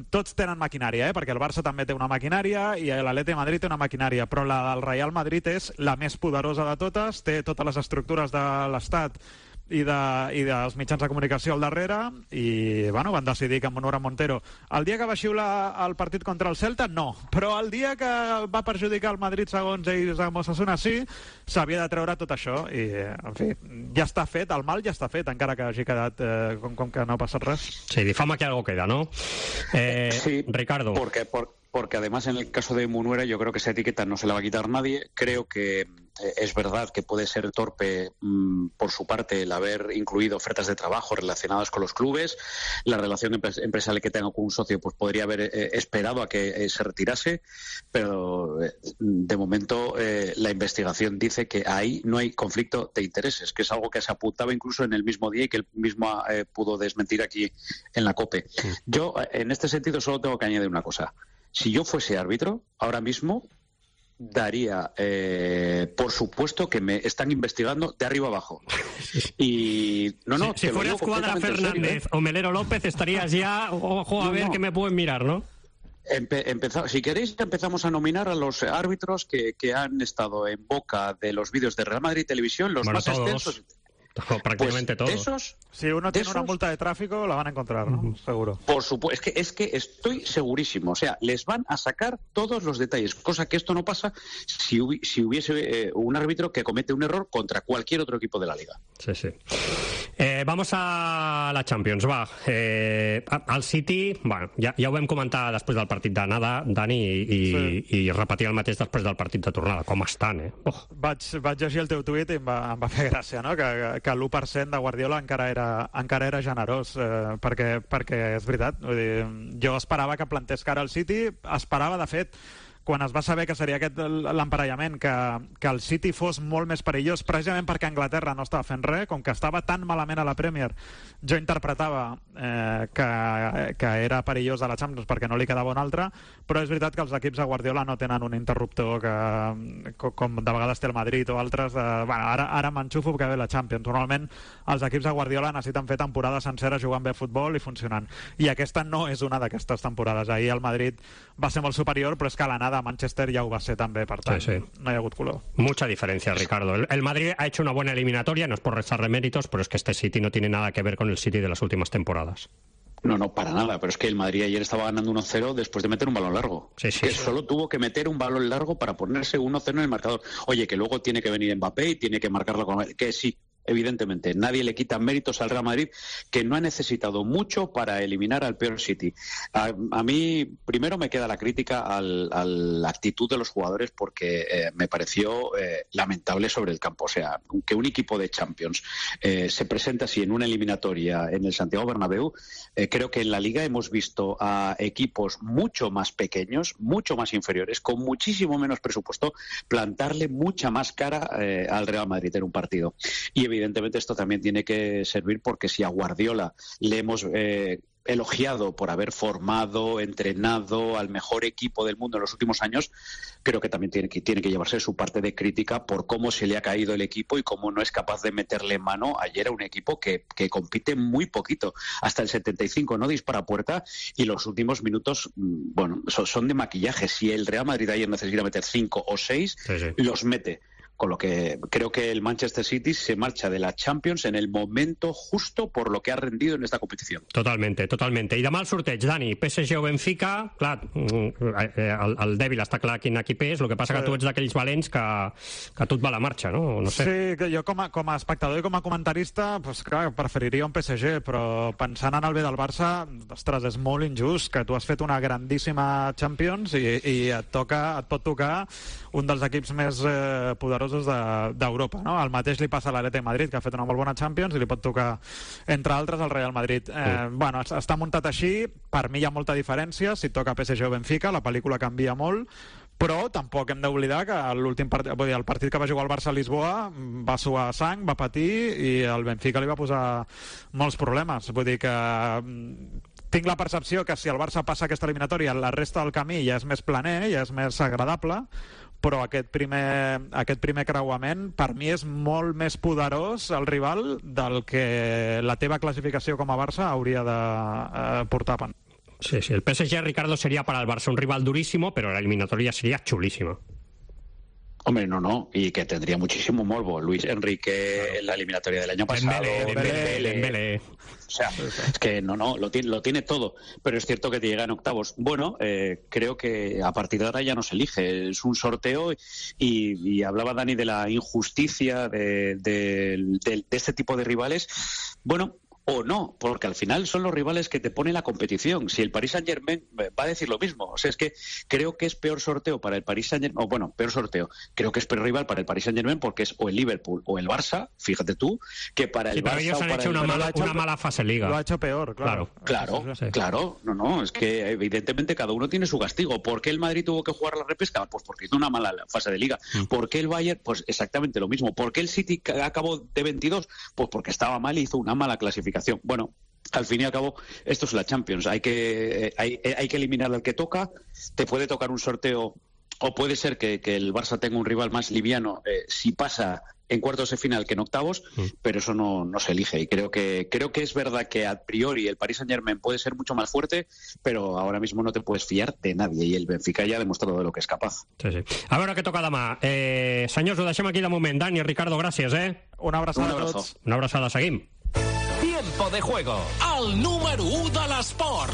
tots tenen maquinària, perquè el Barça també té una maquinària i l'Atleti de Madrid té una maquinària, però la del Real Madrid és la més poderosa de totes, té totes les estructures de l'Estat i dels mitjans de comunicació al darrere, i van decidir que Munura Montero, el dia que va xiular el partit contra el Celta, no, però el dia que va perjudicar el Madrid segons ells amb Osasuna sí, s'havia de treure tot això, i en fi, ja està fet, el mal ja està fet, encara que hagi quedat com que no ha passat res. Sí, difama que algo queda, ¿no? Sí, Ricardo. Porque además en el caso de Munera yo creo que esa etiqueta no se la va a quitar nadie. Creo que es verdad que puede ser torpe por su parte el haber incluido ofertas de trabajo relacionadas con los clubes. La relación empresarial que tenga con un socio pues podría haber esperado a que se retirase, pero de momento la investigación dice que ahí no hay conflicto de intereses, que es algo que se apuntaba incluso en el mismo día y que él mismo pudo desmentir aquí en la COPE. Yo en este sentido solo tengo que añadir una cosa. Si yo fuese árbitro, ahora mismo daría por supuesto que me están investigando de arriba abajo. Y si fueras Cuadra Fernández o Melero López estarías ya, ojo, a ver que me pueden mirar, ¿no? Si queréis, empezamos a nominar a los árbitros que han estado en boca de los vídeos de Real Madrid Televisión, los más extensos. Prácticamente pues todos. Si uno tiene una multa de tráfico, la van a encontrar, ¿no? Seguro. Por supuesto, es que estoy segurísimo. O sea, les van a sacar todos los detalles, cosa que esto no pasa si hubiese un árbitro que comete un error contra cualquier otro equipo de la liga. Sí, sí. Vamos a la Champions, va. El City, bueno, ja ho vam comentar després del partit d'anada, Dani, i repetir el mateix després del partit de tornada. Com estan, Vaig llegir el teu tuit i em va fer gràcia, no? Que l'1% de Guardiola encara era generós, perquè és veritat. Vull dir, jo esperava que plantés cara al City, esperava, de fet, quan es va saber que seria aquest l'emparellament, que el City fos molt més perillós, precisament perquè Anglaterra no estava fent res, com que estava tan malament a la Premier, jo interpretava que era perillós a la Champions perquè no li quedava un altre, però és veritat que els equips de Guardiola no tenen un interruptor com de vegades té el Madrid o altres, ara m'enxufo que ve la Champions. Normalment els equips de Guardiola necessiten fer temporades senceres jugant bé a futbol i funcionant, i aquesta no és una d'aquestes temporades. Ahir el Madrid va ser molt superior, però és que a l'anada a Manchester ya va a ser también, per tant, no hi ha hagut color. Mucha diferencia, Ricardo. El Madrid ha hecho una buena eliminatoria, no es por restarle méritos, pero es que este City no tiene nada que ver con el City de las últimas temporadas. No, para nada, pero es que el Madrid ayer estaba ganando 1-0 después de meter un balón largo. Solo tuvo que meter un balón largo para ponerse 1-0 en el marcador. Oye, que luego tiene que venir Mbappé y tiene que marcarlo con... Que sí, evidentemente, nadie le quita méritos al Real Madrid, que no ha necesitado mucho para eliminar al peor City. A mí, primero me queda la crítica a la actitud de los jugadores, porque me pareció lamentable sobre el campo. O sea, que un equipo de Champions se presenta así en una eliminatoria en el Santiago Bernabéu, creo que en la Liga hemos visto a equipos mucho más pequeños, mucho más inferiores, con muchísimo menos presupuesto, plantarle mucha más cara al Real Madrid en un partido. Y evidentemente esto también tiene que servir, porque si a Guardiola le hemos elogiado por haber formado, entrenado al mejor equipo del mundo en los últimos años, creo que también tiene que llevarse su parte de crítica por cómo se le ha caído el equipo y cómo no es capaz de meterle mano ayer a un equipo que compite muy poquito. Hasta el 75 no dispara a puerta, y los últimos minutos, bueno, son de maquillaje. Si el Real Madrid ayer necesita meter 5 o 6, los mete. Con lo que creo que el Manchester City se marcha de la Champions en el momento justo por lo que ha rendido en esta competició. Totalmente. I demà el sorteig, Dani, PSG o Benfica, clar, el dèbil està clar quin equip és, el que passa que tu ets d'aquells valents que tot va a la marxa, no? No sé. Sí, que jo com a espectador i com a comentarista, pues, clar, preferiria un PSG, però pensant en el bé del Barça, ostres, és molt injust que tu has fet una grandíssima Champions i et pot tocar un dels equips més poderosos d'Europa, no? El mateix li passa a l'Atlètic Madrid, que ha fet una molt bona Champions, i li pot tocar, entre altres, al Real Madrid. Bueno, està muntat així, per mi hi ha molta diferència, si toca PSG o Benfica, la pel·lícula canvia molt, però tampoc hem d'oblidar que l'últim partit, el partit que va jugar el Barça a Lisboa va suar sang, va patir, i el Benfica li va posar molts problemes. Vull dir que tinc la percepció que si el Barça passa aquesta eliminatòria, la resta del camí ja és més planer, ja és més agradable, però aquest primer creuament per mi és molt més poderós el rival del que la teva classificació com a Barça hauria de portar. Sí, el PSG, Ricardo, sería para el Barça un rival durísimo, pero la eliminatoria sería chulísima. Hombre, no, y que tendría muchísimo morbo. Luis Enrique en la eliminatoria del año pasado. Dembélé. O sea, es que no, lo tiene todo. Pero es cierto que te llega en octavos. Bueno, creo que a partir de ahora ya no se elige. Es un sorteo, y hablaba Dani de la injusticia de este tipo de rivales. Bueno, o no, porque al final son los rivales que te pone la competición. Si el Paris Saint-Germain va a decir lo mismo. O sea, es que creo que es peor sorteo para el Paris Saint-Germain, o bueno, peor sorteo. Creo que es peor rival para el Paris Saint-Germain porque es o el Liverpool o el Barça, fíjate tú, que para el Barça. Pero ellos han hecho una mala fase liga. Lo ha hecho peor, claro. Claro. No, es que evidentemente cada uno tiene su castigo. ¿Por qué el Madrid tuvo que jugar la repesca? Pues porque hizo una mala fase de liga. ¿Por qué el Bayern? Pues exactamente lo mismo. ¿Por qué el City acabó de 22? Pues porque estaba mal y hizo una mala clasificación. Bueno, al fin y al cabo, esto es la Champions. Hay que eliminar al que toca. Te puede tocar un sorteo, o puede ser que el Barça tenga un rival más liviano si pasa en cuartos de final que en octavos, pero eso no se elige. Y creo que es verdad que a priori el Paris Saint-Germain puede ser mucho más fuerte, pero ahora mismo no te puedes fiar de nadie, y el Benfica ya ha demostrado de lo que es capaz. Sí. A veure què toca demà. Senyors, ho deixem aquí de moment. Dani, Ricardo, gràcies, Una abraçada a tots. Una abraçada, seguim. Tiempo de juego, el número 1 de l'esport.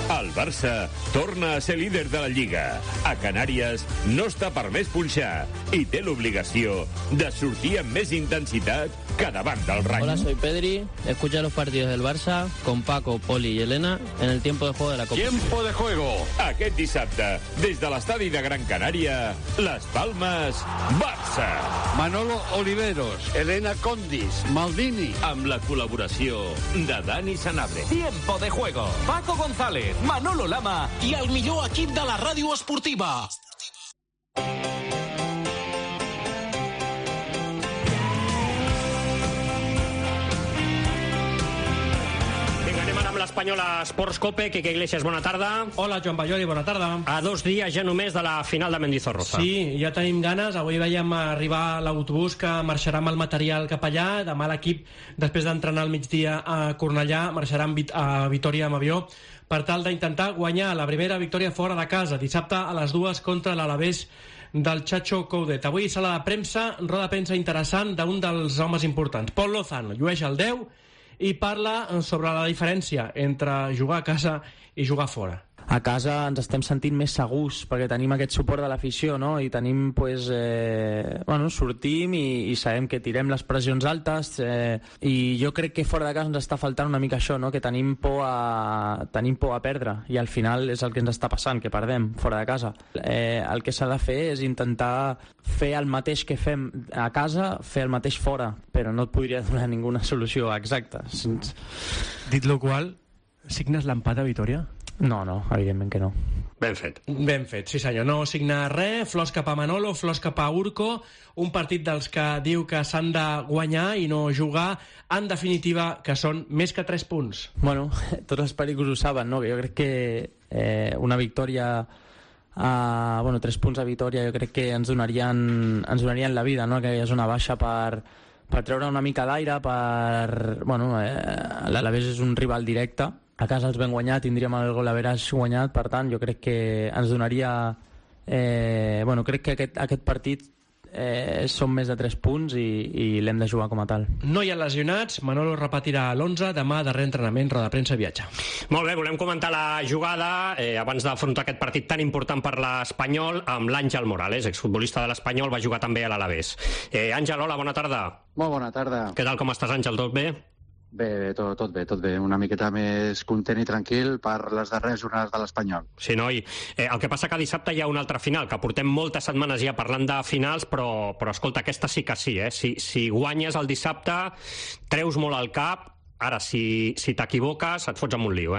El Barça torna a ser líder de la Lliga. A Canàries no està permès punxar i té l'obligació de sortir amb més intensitat cada banda del Rayo. Hola, soy Pedri. Escucha los partidos del Barça con Paco, Poli y Elena en el tiempo de juego de la Copa. Tiempo de juego. Aquest dissabte, des de l'estadi de Gran Canària, Las Palmas, Barça. Manolo Oliveros, Elena Condis, Maldini. Amb la col·laboració de Dani Sanabria. Tiempo de juego. Paco González, Manolo Lama i el millor equip de la ràdio esportiva. L'Espanyola Sports Cope. Quique Iglesias, bona tarda. Hola, Joan Balloli, bona tarda. A 2 dies ja només de la final de Mendizorroza. Sí, ja tenim ganes. Avui veiem arribar l'autobús que marxarà amb el material cap allà. Demà l'equip, després d'entrenar al migdia a Cornellà, marxarà a Vitòria amb avió per tal d'intentar guanyar la primera victòria fora de casa. Dissabte a les 2 contra l'Alavés del Chacho Coudet. Avui sala de premsa, roda de premsa interessant d'un dels homes importants. Pol Lozano llueix el 10 i parla sobre la diferència entre jugar a casa i jugar fora. A casa ens estem sentint més segurs perquè tenim aquest suport de l'afició, no? I tenim, sortim i sabem que tirem les pressions altes i jo crec que fora de casa ens està faltant una mica això, no? Que tenim por a perdre i al final és el que ens està passant, que perdem fora de casa. El que s'ha de fer és intentar fer el mateix que fem a casa, fer el mateix fora, però no et podria donar ninguna solució exacta. Dit lo qual, signes l'empat a Vitòria? No, evidentment que no. Ben fet. Ben fet, sí senyor. No signa res, flors cap a Manolo, flors cap a Urco, un partit dels que diu que s'han de guanyar i no jugar, en definitiva, que són més que 3 punts. Bueno, tots els pericos ho saben, no? Que jo crec que una victòria... 3 punts a Vitòria jo crec que ens donarien la vida, no? Que és una baixa per treure una mica d'aire, l'Alavés és un rival directe, a casa els vam guanyar, tindríem el gol average guanyat, per tant jo crec que ens donaria crec que aquest partit són més de 3 punts i l'hem de jugar com a tal. No hi ha lesionats, Manolo repetirà l'11, demà darrer entrenament, roda de premsa i viatge. Molt bé, volem comentar la jugada abans d'afrontar aquest partit tan important per l'Espanyol amb l'Àngel Morales, exfutbolista de l'Espanyol, va jugar també a l'Alavés. Àngel, hola, bona tarda. Molt bona tarda. Què tal, com estàs, Àngel, tot bé? Bé, tot bé. Una miqueta més content i tranquil per les darreres jornades de l'Espanyol. Sí, noi. El que passa que dissabte hi ha una altra final, que portem moltes setmanes ja parlant de finals, però escolta, aquesta sí que sí, Si guanyes el dissabte, treus molt al cap. Ara, si t'equivoques, et fots en un lío,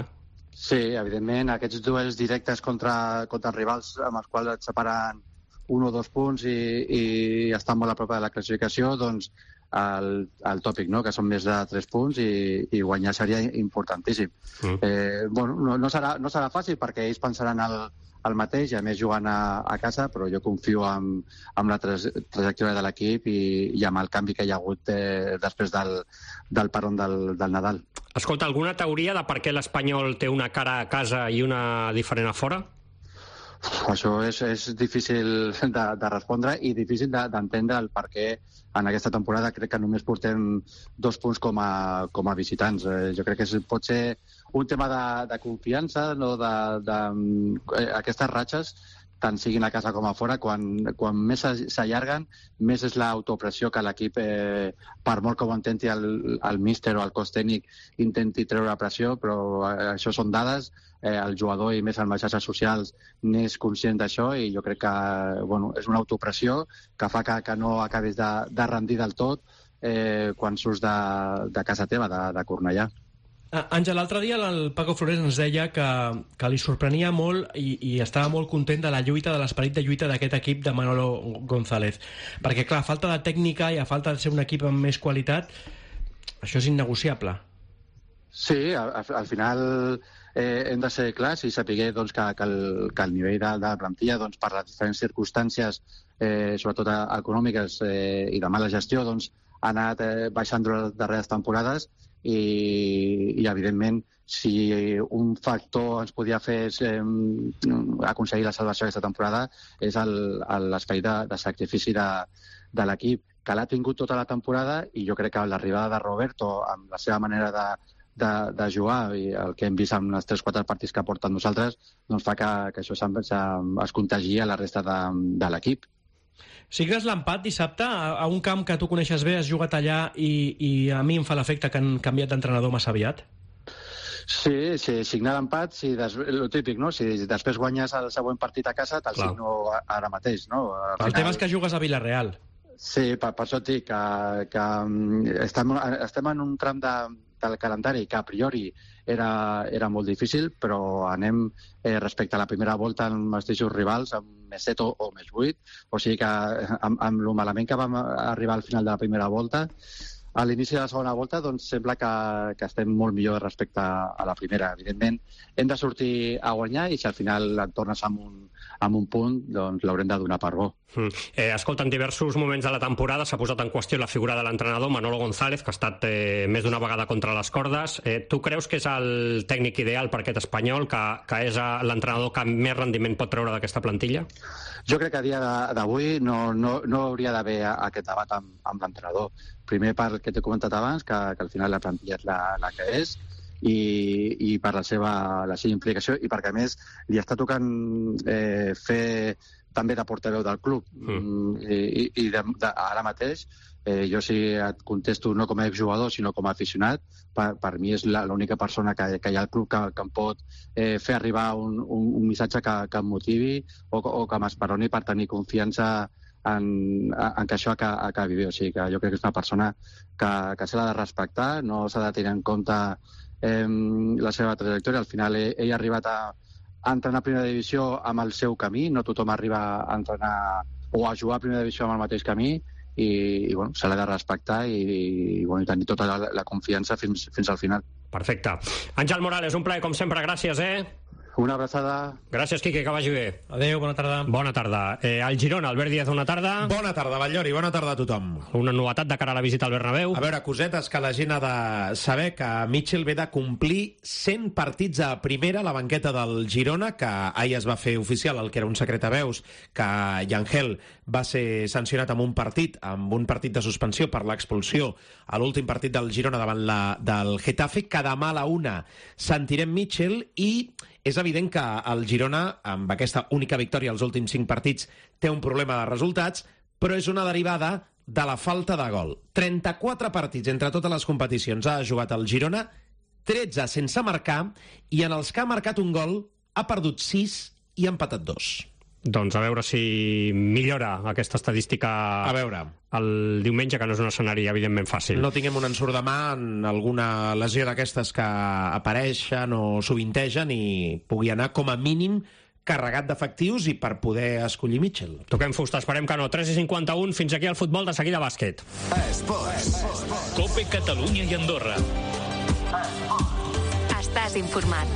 Sí, evidentment, aquests duels directes contra rivals amb els quals et separen 1 o 2 punts i estan molt a prop de la classificació, doncs el tòpic, no? Que són més de 3 punts i guanyar seria importantíssim. No serà fàcil perquè ells pensaran el mateix i a més jugant a casa, però jo confio en la trajectòria de l'equip i amb el canvi que hi ha hagut després del paron del Nadal. Escolta, alguna teoria de per què l'Espanyol té una cara a casa i una diferent a fora? Això és difícil de respondre i difícil d'entendre el per què en aquesta temporada crec que només portem 2 punts com a visitants. Jo crec que pot ser un tema de confiança, no? Aquestes ratxes, tant siguin a casa com a fora, quan més s'allarguen, més és l'autopressió que l'equip, per molt que ho intenti el míster o el cos tècnic, intenti treure pressió, però això són dades, el jugador i més en les xarxes socials n'és conscient d'això i jo crec que és una autopressió que fa que no acabis de rendir del tot quan surts de casa teva, de Cornellà. Àngel, l'altre dia el Paco Flores ens deia que li sorprenia molt i estava molt content de la lluita, de l'esperit de lluita d'aquest equip de Manolo González. Perquè, clar, a falta de tècnica i a falta de ser un equip amb més qualitat, això és innegociable. Sí, al final hem de ser clars i saber que el nivell de plantilla, per les diferents circumstàncies, sobretot econòmiques i de mala gestió, ha anat baixant durant les darreres temporades i evidentment, si un factor ens podia fer aconseguir la salvació aquesta temporada és l'esperit de sacrifici de l'equip, que l'ha tingut tota la temporada i jo crec que l'arribada de Roberto amb la seva manera de jugar i el que hem vist en els 3-4 partits que porten nosaltres fa que això es contagi a la resta de l'equip. Signes l'empat dissabte a un camp que tu coneixes bé, has jugat allà i a mi em fa l'efecte que han canviat d'entrenador massa aviat? Sí, signar l'empat, el típic, no? Si després guanyes el següent partit a casa, te'l signo ara mateix, no? El tema és que jugues a Villarreal. Sí, per això et dic que estem en un tram del calendari que a priori era molt difícil, però anem respecte a la primera volta amb els mateixos rivals, amb més 7 o més 8, o sigui que amb el malament que vam arribar al final de la primera volta, a l'inici de la segona volta doncs sembla que estem molt millor respecte a la primera. Evidentment, hem de sortir a guanyar i si al final et tornes amb un punt, doncs l'haurem de donar per bo. Escolta, en diversos moments de la temporada s'ha posat en qüestió la figura de l'entrenador Manolo González, que ha estat més d'una vegada contra les cordes. Tu creus que és el tècnic ideal per aquest espanyol, que és l'entrenador que més rendiment pot treure d'aquesta plantilla? Jo crec que a dia d'avui no hauria d'haver aquest debat amb l'entrenador. Primer pel que t'he comentat abans, que al final la plantilla és la que és, i per la seva implicació, i perquè a més li està tocant fer també de portaveu del club. I ara mateix, jo si et contesto no com a exjugador sinó com a aficionat, per mi és l'única persona que hi ha al club que em pot fer arribar un missatge que em motivi o que m'esperoni per tenir confiança en que això acabi bé. O sigui que jo crec que és una persona que s'ha de respectar, no s'ha de tenir en compte la seva trajectòria. Al final ell ha arribat a entrenar a primera divisió amb el seu camí, no tothom arriba a entrenar o a jugar a primera divisió amb el mateix camí, i bueno, se l'ha de respectar i tenir tota la confiança fins al final. Perfecte. Àngel Morales, un plaer com sempre, gràcies, Una abraçada. Gràcies, Quique, que vagi bé. Adéu, bona tarda. Bona tarda. El Girona, Albert Díaz, bona tarda. Bona tarda, Batllori, bona tarda a tothom. Una novetat de cara a la visita al Bernabéu. A veure, cosetes que la gent ha de saber, que Mitchell ve de complir 100 partits a primera a la banqueta del Girona, que ahir es va fer oficial, el que era un secret a veus, que Yangel va ser sancionat amb un partit de suspensió per l'expulsió a l'últim partit del Girona davant del Getafe, que demà a la 1 sentirem Mitchell, i és evident que el Girona, amb aquesta única victòria als últims 5 partits, té un problema de resultats, però és una derivada de la falta de gol. 34 partits entre totes les competicions ha jugat el Girona, 13 sense marcar, i en els que ha marcat un gol ha perdut 6 i ha empatat 2. Doncs a veure si millora aquesta estadística el diumenge, que no és un escenari evidentment fàcil. No tinguem un ensurt de mà en alguna lesió d'aquestes que apareixen o sovintegen i pugui anar com a mínim carregat d'efectius i per poder escollir Mitchell. Toquem fusta, esperem que no. 3:51, fins aquí el futbol, de seguida bàsquet. Esports. Cope Catalunya i Andorra. Estàs informat.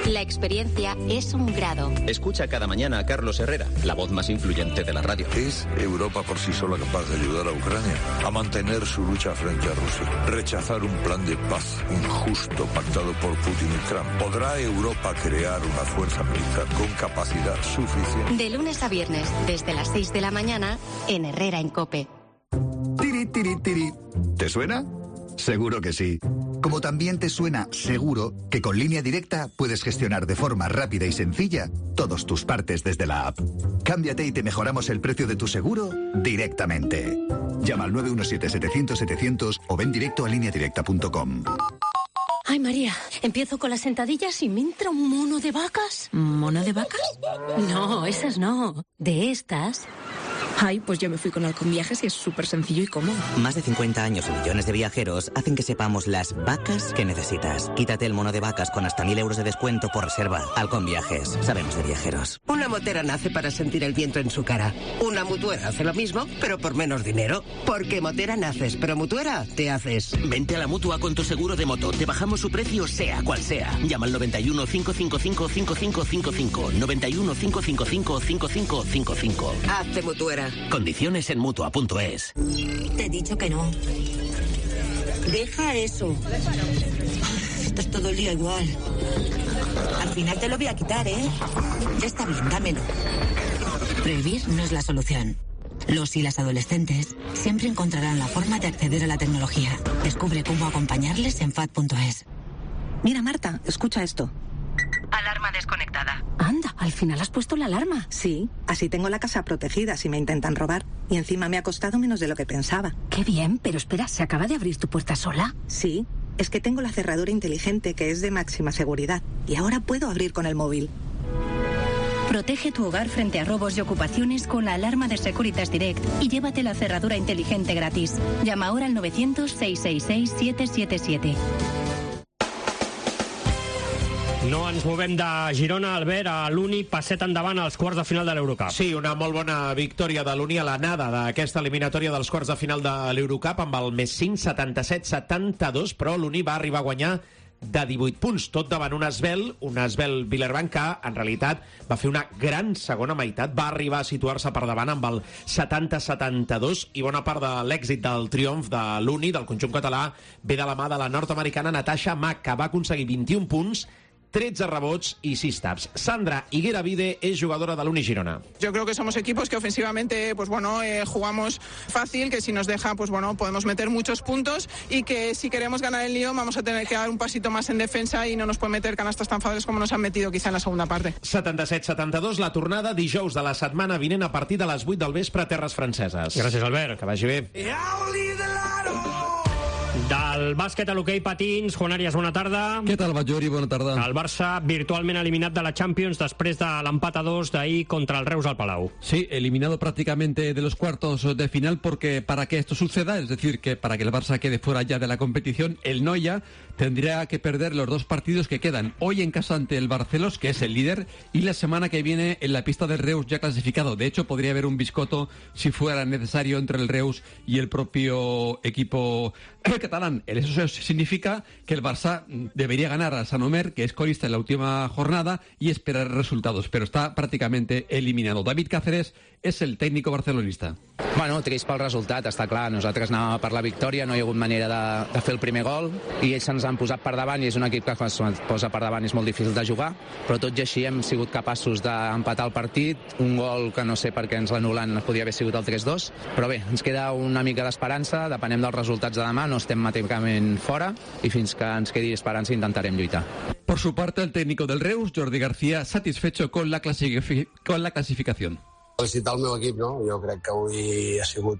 La experiencia es un grado. Escucha cada mañana a Carlos Herrera, la voz más influyente de la radio. ¿Es Europa por sí sola capaz de ayudar a Ucrania a mantener su lucha frente a Rusia? Rechazar un plan de paz injusto pactado por Putin y Trump. ¿Podrá Europa crear una fuerza militar con capacidad suficiente? De lunes a viernes, desde las 6 de la mañana, en Herrera en COPE. Tiri, tiri, tiri. ¿Te suena? Seguro que sí. Como también te suena seguro que con Línea Directa puedes gestionar de forma rápida y sencilla todos tus partes desde la app. Cámbiate y te mejoramos el precio de tu seguro directamente. Llama al 917-700-700 o ven directo a lineadirecta.com. Ay, María, empiezo con las sentadillas y me entra un mono de vacas. ¿Mono de vacas? No, esas no. De estas. Ay, pues yo me fui con Alconviajes y es súper sencillo y cómodo. Más de 50 años y millones de viajeros hacen que sepamos las vacas que necesitas. Quítate el mono de vacas con hasta 1.000 euros de descuento por reserva. Alconviajes. Sabemos de viajeros. Una motera nace para sentir el viento en su cara. Una mutuera hace lo mismo, pero por menos dinero. Porque motera naces, pero mutuera te haces. Vente a la Mutua con tu seguro de moto. Te bajamos su precio sea cual sea. Llama al 91 555 5555. 91 555 5555. Hazte mutuera. Condiciones en Mutua.es. Te he dicho que no. Deja eso. Esto es todo el día igual. Al final te lo voy a quitar, ¿eh? Ya está bien, dámelo. Prohibir no es la solución. Los y las adolescentes siempre encontrarán la forma de acceder a la tecnología. Descubre cómo acompañarles en FAD.es. Mira, Marta, escucha esto. Alarma desconectada. Anda, al final has puesto la alarma. Sí, así tengo la casa protegida si me intentan robar. Y encima me ha costado menos de lo que pensaba. Qué bien, pero espera, ¿se acaba de abrir tu puerta sola? Sí, es que tengo la cerradura inteligente que es de máxima seguridad. Y ahora puedo abrir con el móvil. Protege tu hogar frente a robos y ocupaciones con la alarma de Securitas Direct y llévate la cerradura inteligente gratis. Llama ahora al 900-666-777. No ens movem de Girona, Albert, a l'Uni, passet endavant als quarts de final de l'Eurocup. Sí, una molt bona victòria de l'Uni a l'anada d'aquesta eliminatòria dels quarts de final de l'Eurocup amb el més 5, 77-72, però l'Uni va arribar a guanyar de 18 punts, tot davant un esvel Villarban que, en realitat, va fer una gran segona meitat, va arribar a situar-se per davant amb el 70-72 i bona part de l'èxit del triomf de l'Uni, del conjunt català, ve de la mà de la nord-americana Natasha Mack, que va aconseguir 21 punts, 13 rebots y 6 taps. Sandra Higuera-Vide es jugadora de l'Uni Girona. Yo creo que somos equipos que ofensivamente, pues bueno, jugamos fácil, que si nos deja, pues bueno, podemos meter muchos puntos y que si queremos ganar el Lyon vamos a tener que dar un pasito más en defensa y no nos pueden meter canastas tan fáciles como nos han metido quizá en la segunda parte. 77-72, la tornada dijous de la setmana vinent a partir de les 8 del vespre a terres franceses. Gràcies, Albert. Que vagi bé. Del bàsquet a l'hoquei patins, Juan Arias, bona tarda. Què tal, Bajori? Bona tarda. El Barça virtualment eliminat de la Champions després de l'empat a 2 d'ahir contra el Reus al Palau. Sí, eliminado prácticamente de los cuartos de final porque para que esto suceda, es decir, que para que el Barça quede fuera ya de la competición, el Noia tendría que perder los 2 partidos que quedan. Hoy en casa ante el Barcelos, que es el líder, y la semana que viene en la pista del Reus ya clasificado. De hecho, podría haber un biscotto si fuera necesario entre el Reus y el propio equipo catalán. Eso significa que el Barça debería ganar a San Omer, que es colista en la última jornada, y esperar resultados, pero está prácticamente eliminado. David Cáceres és el tècnico barcelonista. Bueno, trist pel resultat, està clar. Nosaltres anàvem per la victòria, no hi ha hagut manera de fer el primer gol, i ells se'ns han posat per davant, i és un equip que quan es posa per davant és molt difícil de jugar, però tot i així hem sigut capaços d'empatar el partit, un gol que no sé per què ens l'anulen, podia haver sigut el 3-2, però bé, ens queda una mica d'esperança, depenem dels resultats de demà, no estem matèmicament fora, i fins que ens quedi esperança intentarem lluitar. Por su parte, el técnico del Reus, Jordi García, satisfecho con la clasificación. Felicitar el meu equip, no? Jo crec que avui ha sigut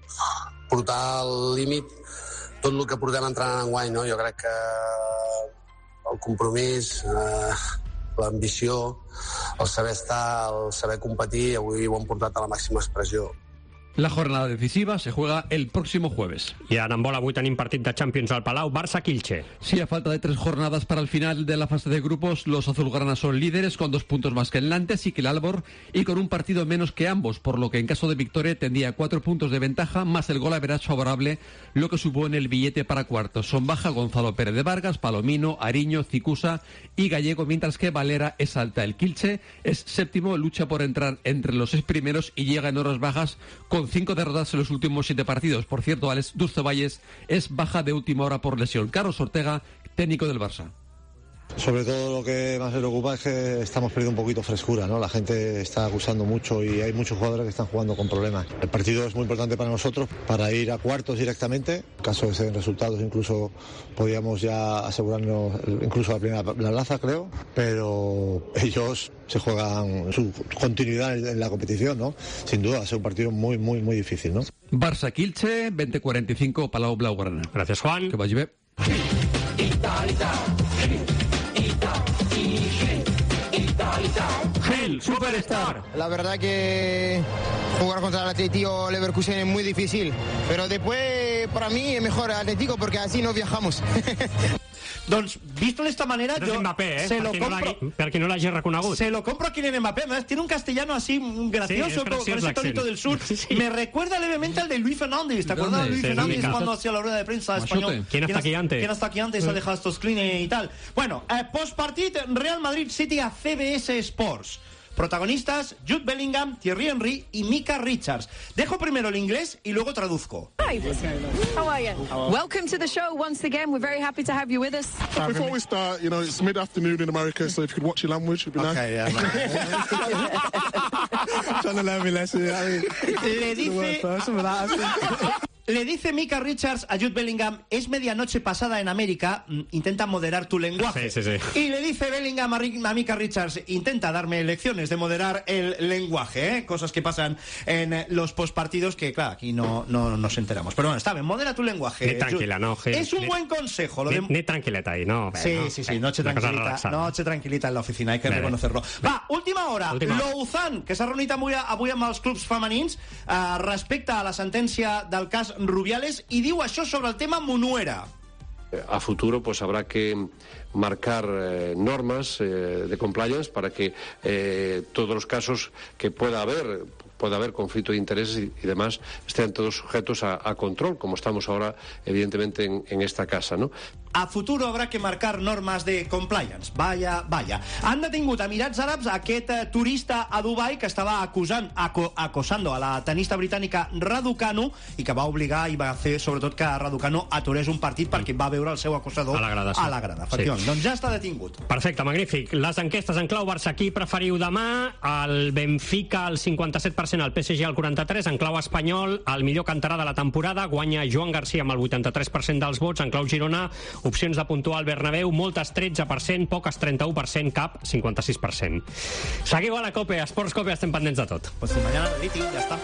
portar al límit tot el que portem entrenant enguany, no? Jo crec que el compromís, l'ambició, el saber estar, el saber competir, avui ho hem portat a la màxima expressió. La jornada decisiva se juega el próximo jueves. I en handbol avui tenim partit de Champions al Palau, Barça-Quilche. Sí, a falta de 3 jornadas para el final de la fase de grupos, los azulgranas son líderes con 2 puntos más que el Nantes y que el Albor, y con un partido menos que ambos, por lo que en caso de victoria tendría 4 puntos de ventaja más el gol average favorable, lo que supone el billete para cuartos. Son baja Gonzalo Pérez de Vargas, Palomino, Ariño, Cicusa y Gallego, mientras que Valera es alta. El Quilche es séptimo, lucha por entrar entre los 6 primeros y llega en horas bajas con 5 derrotas en los últimos 7 partidos. Por cierto, Alex Dulcevalles es baja de última hora por lesión. Carlos Ortega, técnico del Barça. Sobre todo lo que más me preocupa es que estamos perdiendo un poquito frescura, ¿no? La gente está acusando mucho y hay muchos jugadores que están jugando con problemas. El partido es muy importante para nosotros, para ir a cuartos directamente. En caso de ser resultados, incluso podríamos ya asegurarnos incluso la plaza, creo. Pero ellos se juegan su continuidad en la competición, ¿no? Sin duda, va a ser un partido muy, muy, muy difícil, ¿no? Barça-Quilche, 20-45, Palau Blaugrana. Gracias, Juan. Que vagi bé. Gel, Superstar. La verdad que jugar contra el Atlético Leverkusen es muy difícil, pero después para mí es mejor Atlético porque así no viajamos. Doncs, visto de esta manera, yo Mbappé, se lo compro. Per qui no l'hagi reconegut. Se lo compro a Kylian Mbappé. Además, tiene un castellano así gracioso, con ese tonito del sur. Sí. Me recuerda levemente al de Luis Fernández. ¿Te acuerdas de Luis Fernández cuando hacía la rueda de prensa español? ¿Quién está aquí antes? ¿Quién está aquí antes? Ha dejado estos clean y tal. Bueno, post-partit, Real Madrid City a CBS Sports. Protagonistas, Jude Bellingham, Thierry Henry y Mika Richards. Dejo primero el inglés y luego traduzco. Hi, how are you? Welcome to the show once again. We're very happy to have you with us. Before we start, you know, it's mid-afternoon in America, so if you could watch your language, it'd be nice. Okay, yeah. Trying to learn me lesson. Le dice... Le dice Micah Richards a Jude Bellingham, es medianoche pasada en América, intenta moderar tu lenguaje. Sí. Y le dice Bellingham a Micah Richards, intenta darme lecciones de moderar el lenguaje, ¿eh? Cosas que pasan en los postpartidos que, claro, aquí no nos enteramos. Pero bueno, está bien, modera tu lenguaje. Ni tranquila, no. Es un buen consejo. Ni tranquileta ahí, no. Sí, noche tranquilita en la oficina, hay que reconocerlo. Va, última hora. Louzan, que s'ha reunit avui amb els clubs femenins respecte a la sentència del cas Rubiales i diu això sobre el tema Munuera. A futuro pues habrá que marcar normas de compliance para que todos los casos que pueda haber conflicto de intereses y demás estén todos sujetos a control, como estamos ahora evidentemente en esta casa, ¿no? A futuro habrá que marcar normas de compliance. Vaya. Han detingut a Emirats Àrabs aquest turista a Dubai que estava acosando a la tenista britànica Raducanu i que va obligar i va fer sobretot que Raducanu aturés un partit perquè va veure el seu acosador a la grada. Efectivament, doncs ja està detingut. Perfecte, magnífic. Les enquestes en clau Barça, qui preferiu demà? El Benfica al 57%, el PSG al 43%, en clau espanyol, el millor canterà de la temporada, guanya Joan Garcia amb el 83% dels vots, en clau Girona, opcions de puntuar al Bernabéu, moltes 13%, poques 31%, cap 56%. Seguiu a la COPE, Esports COPE, estem pendents de tot. Pues mañana, ja està.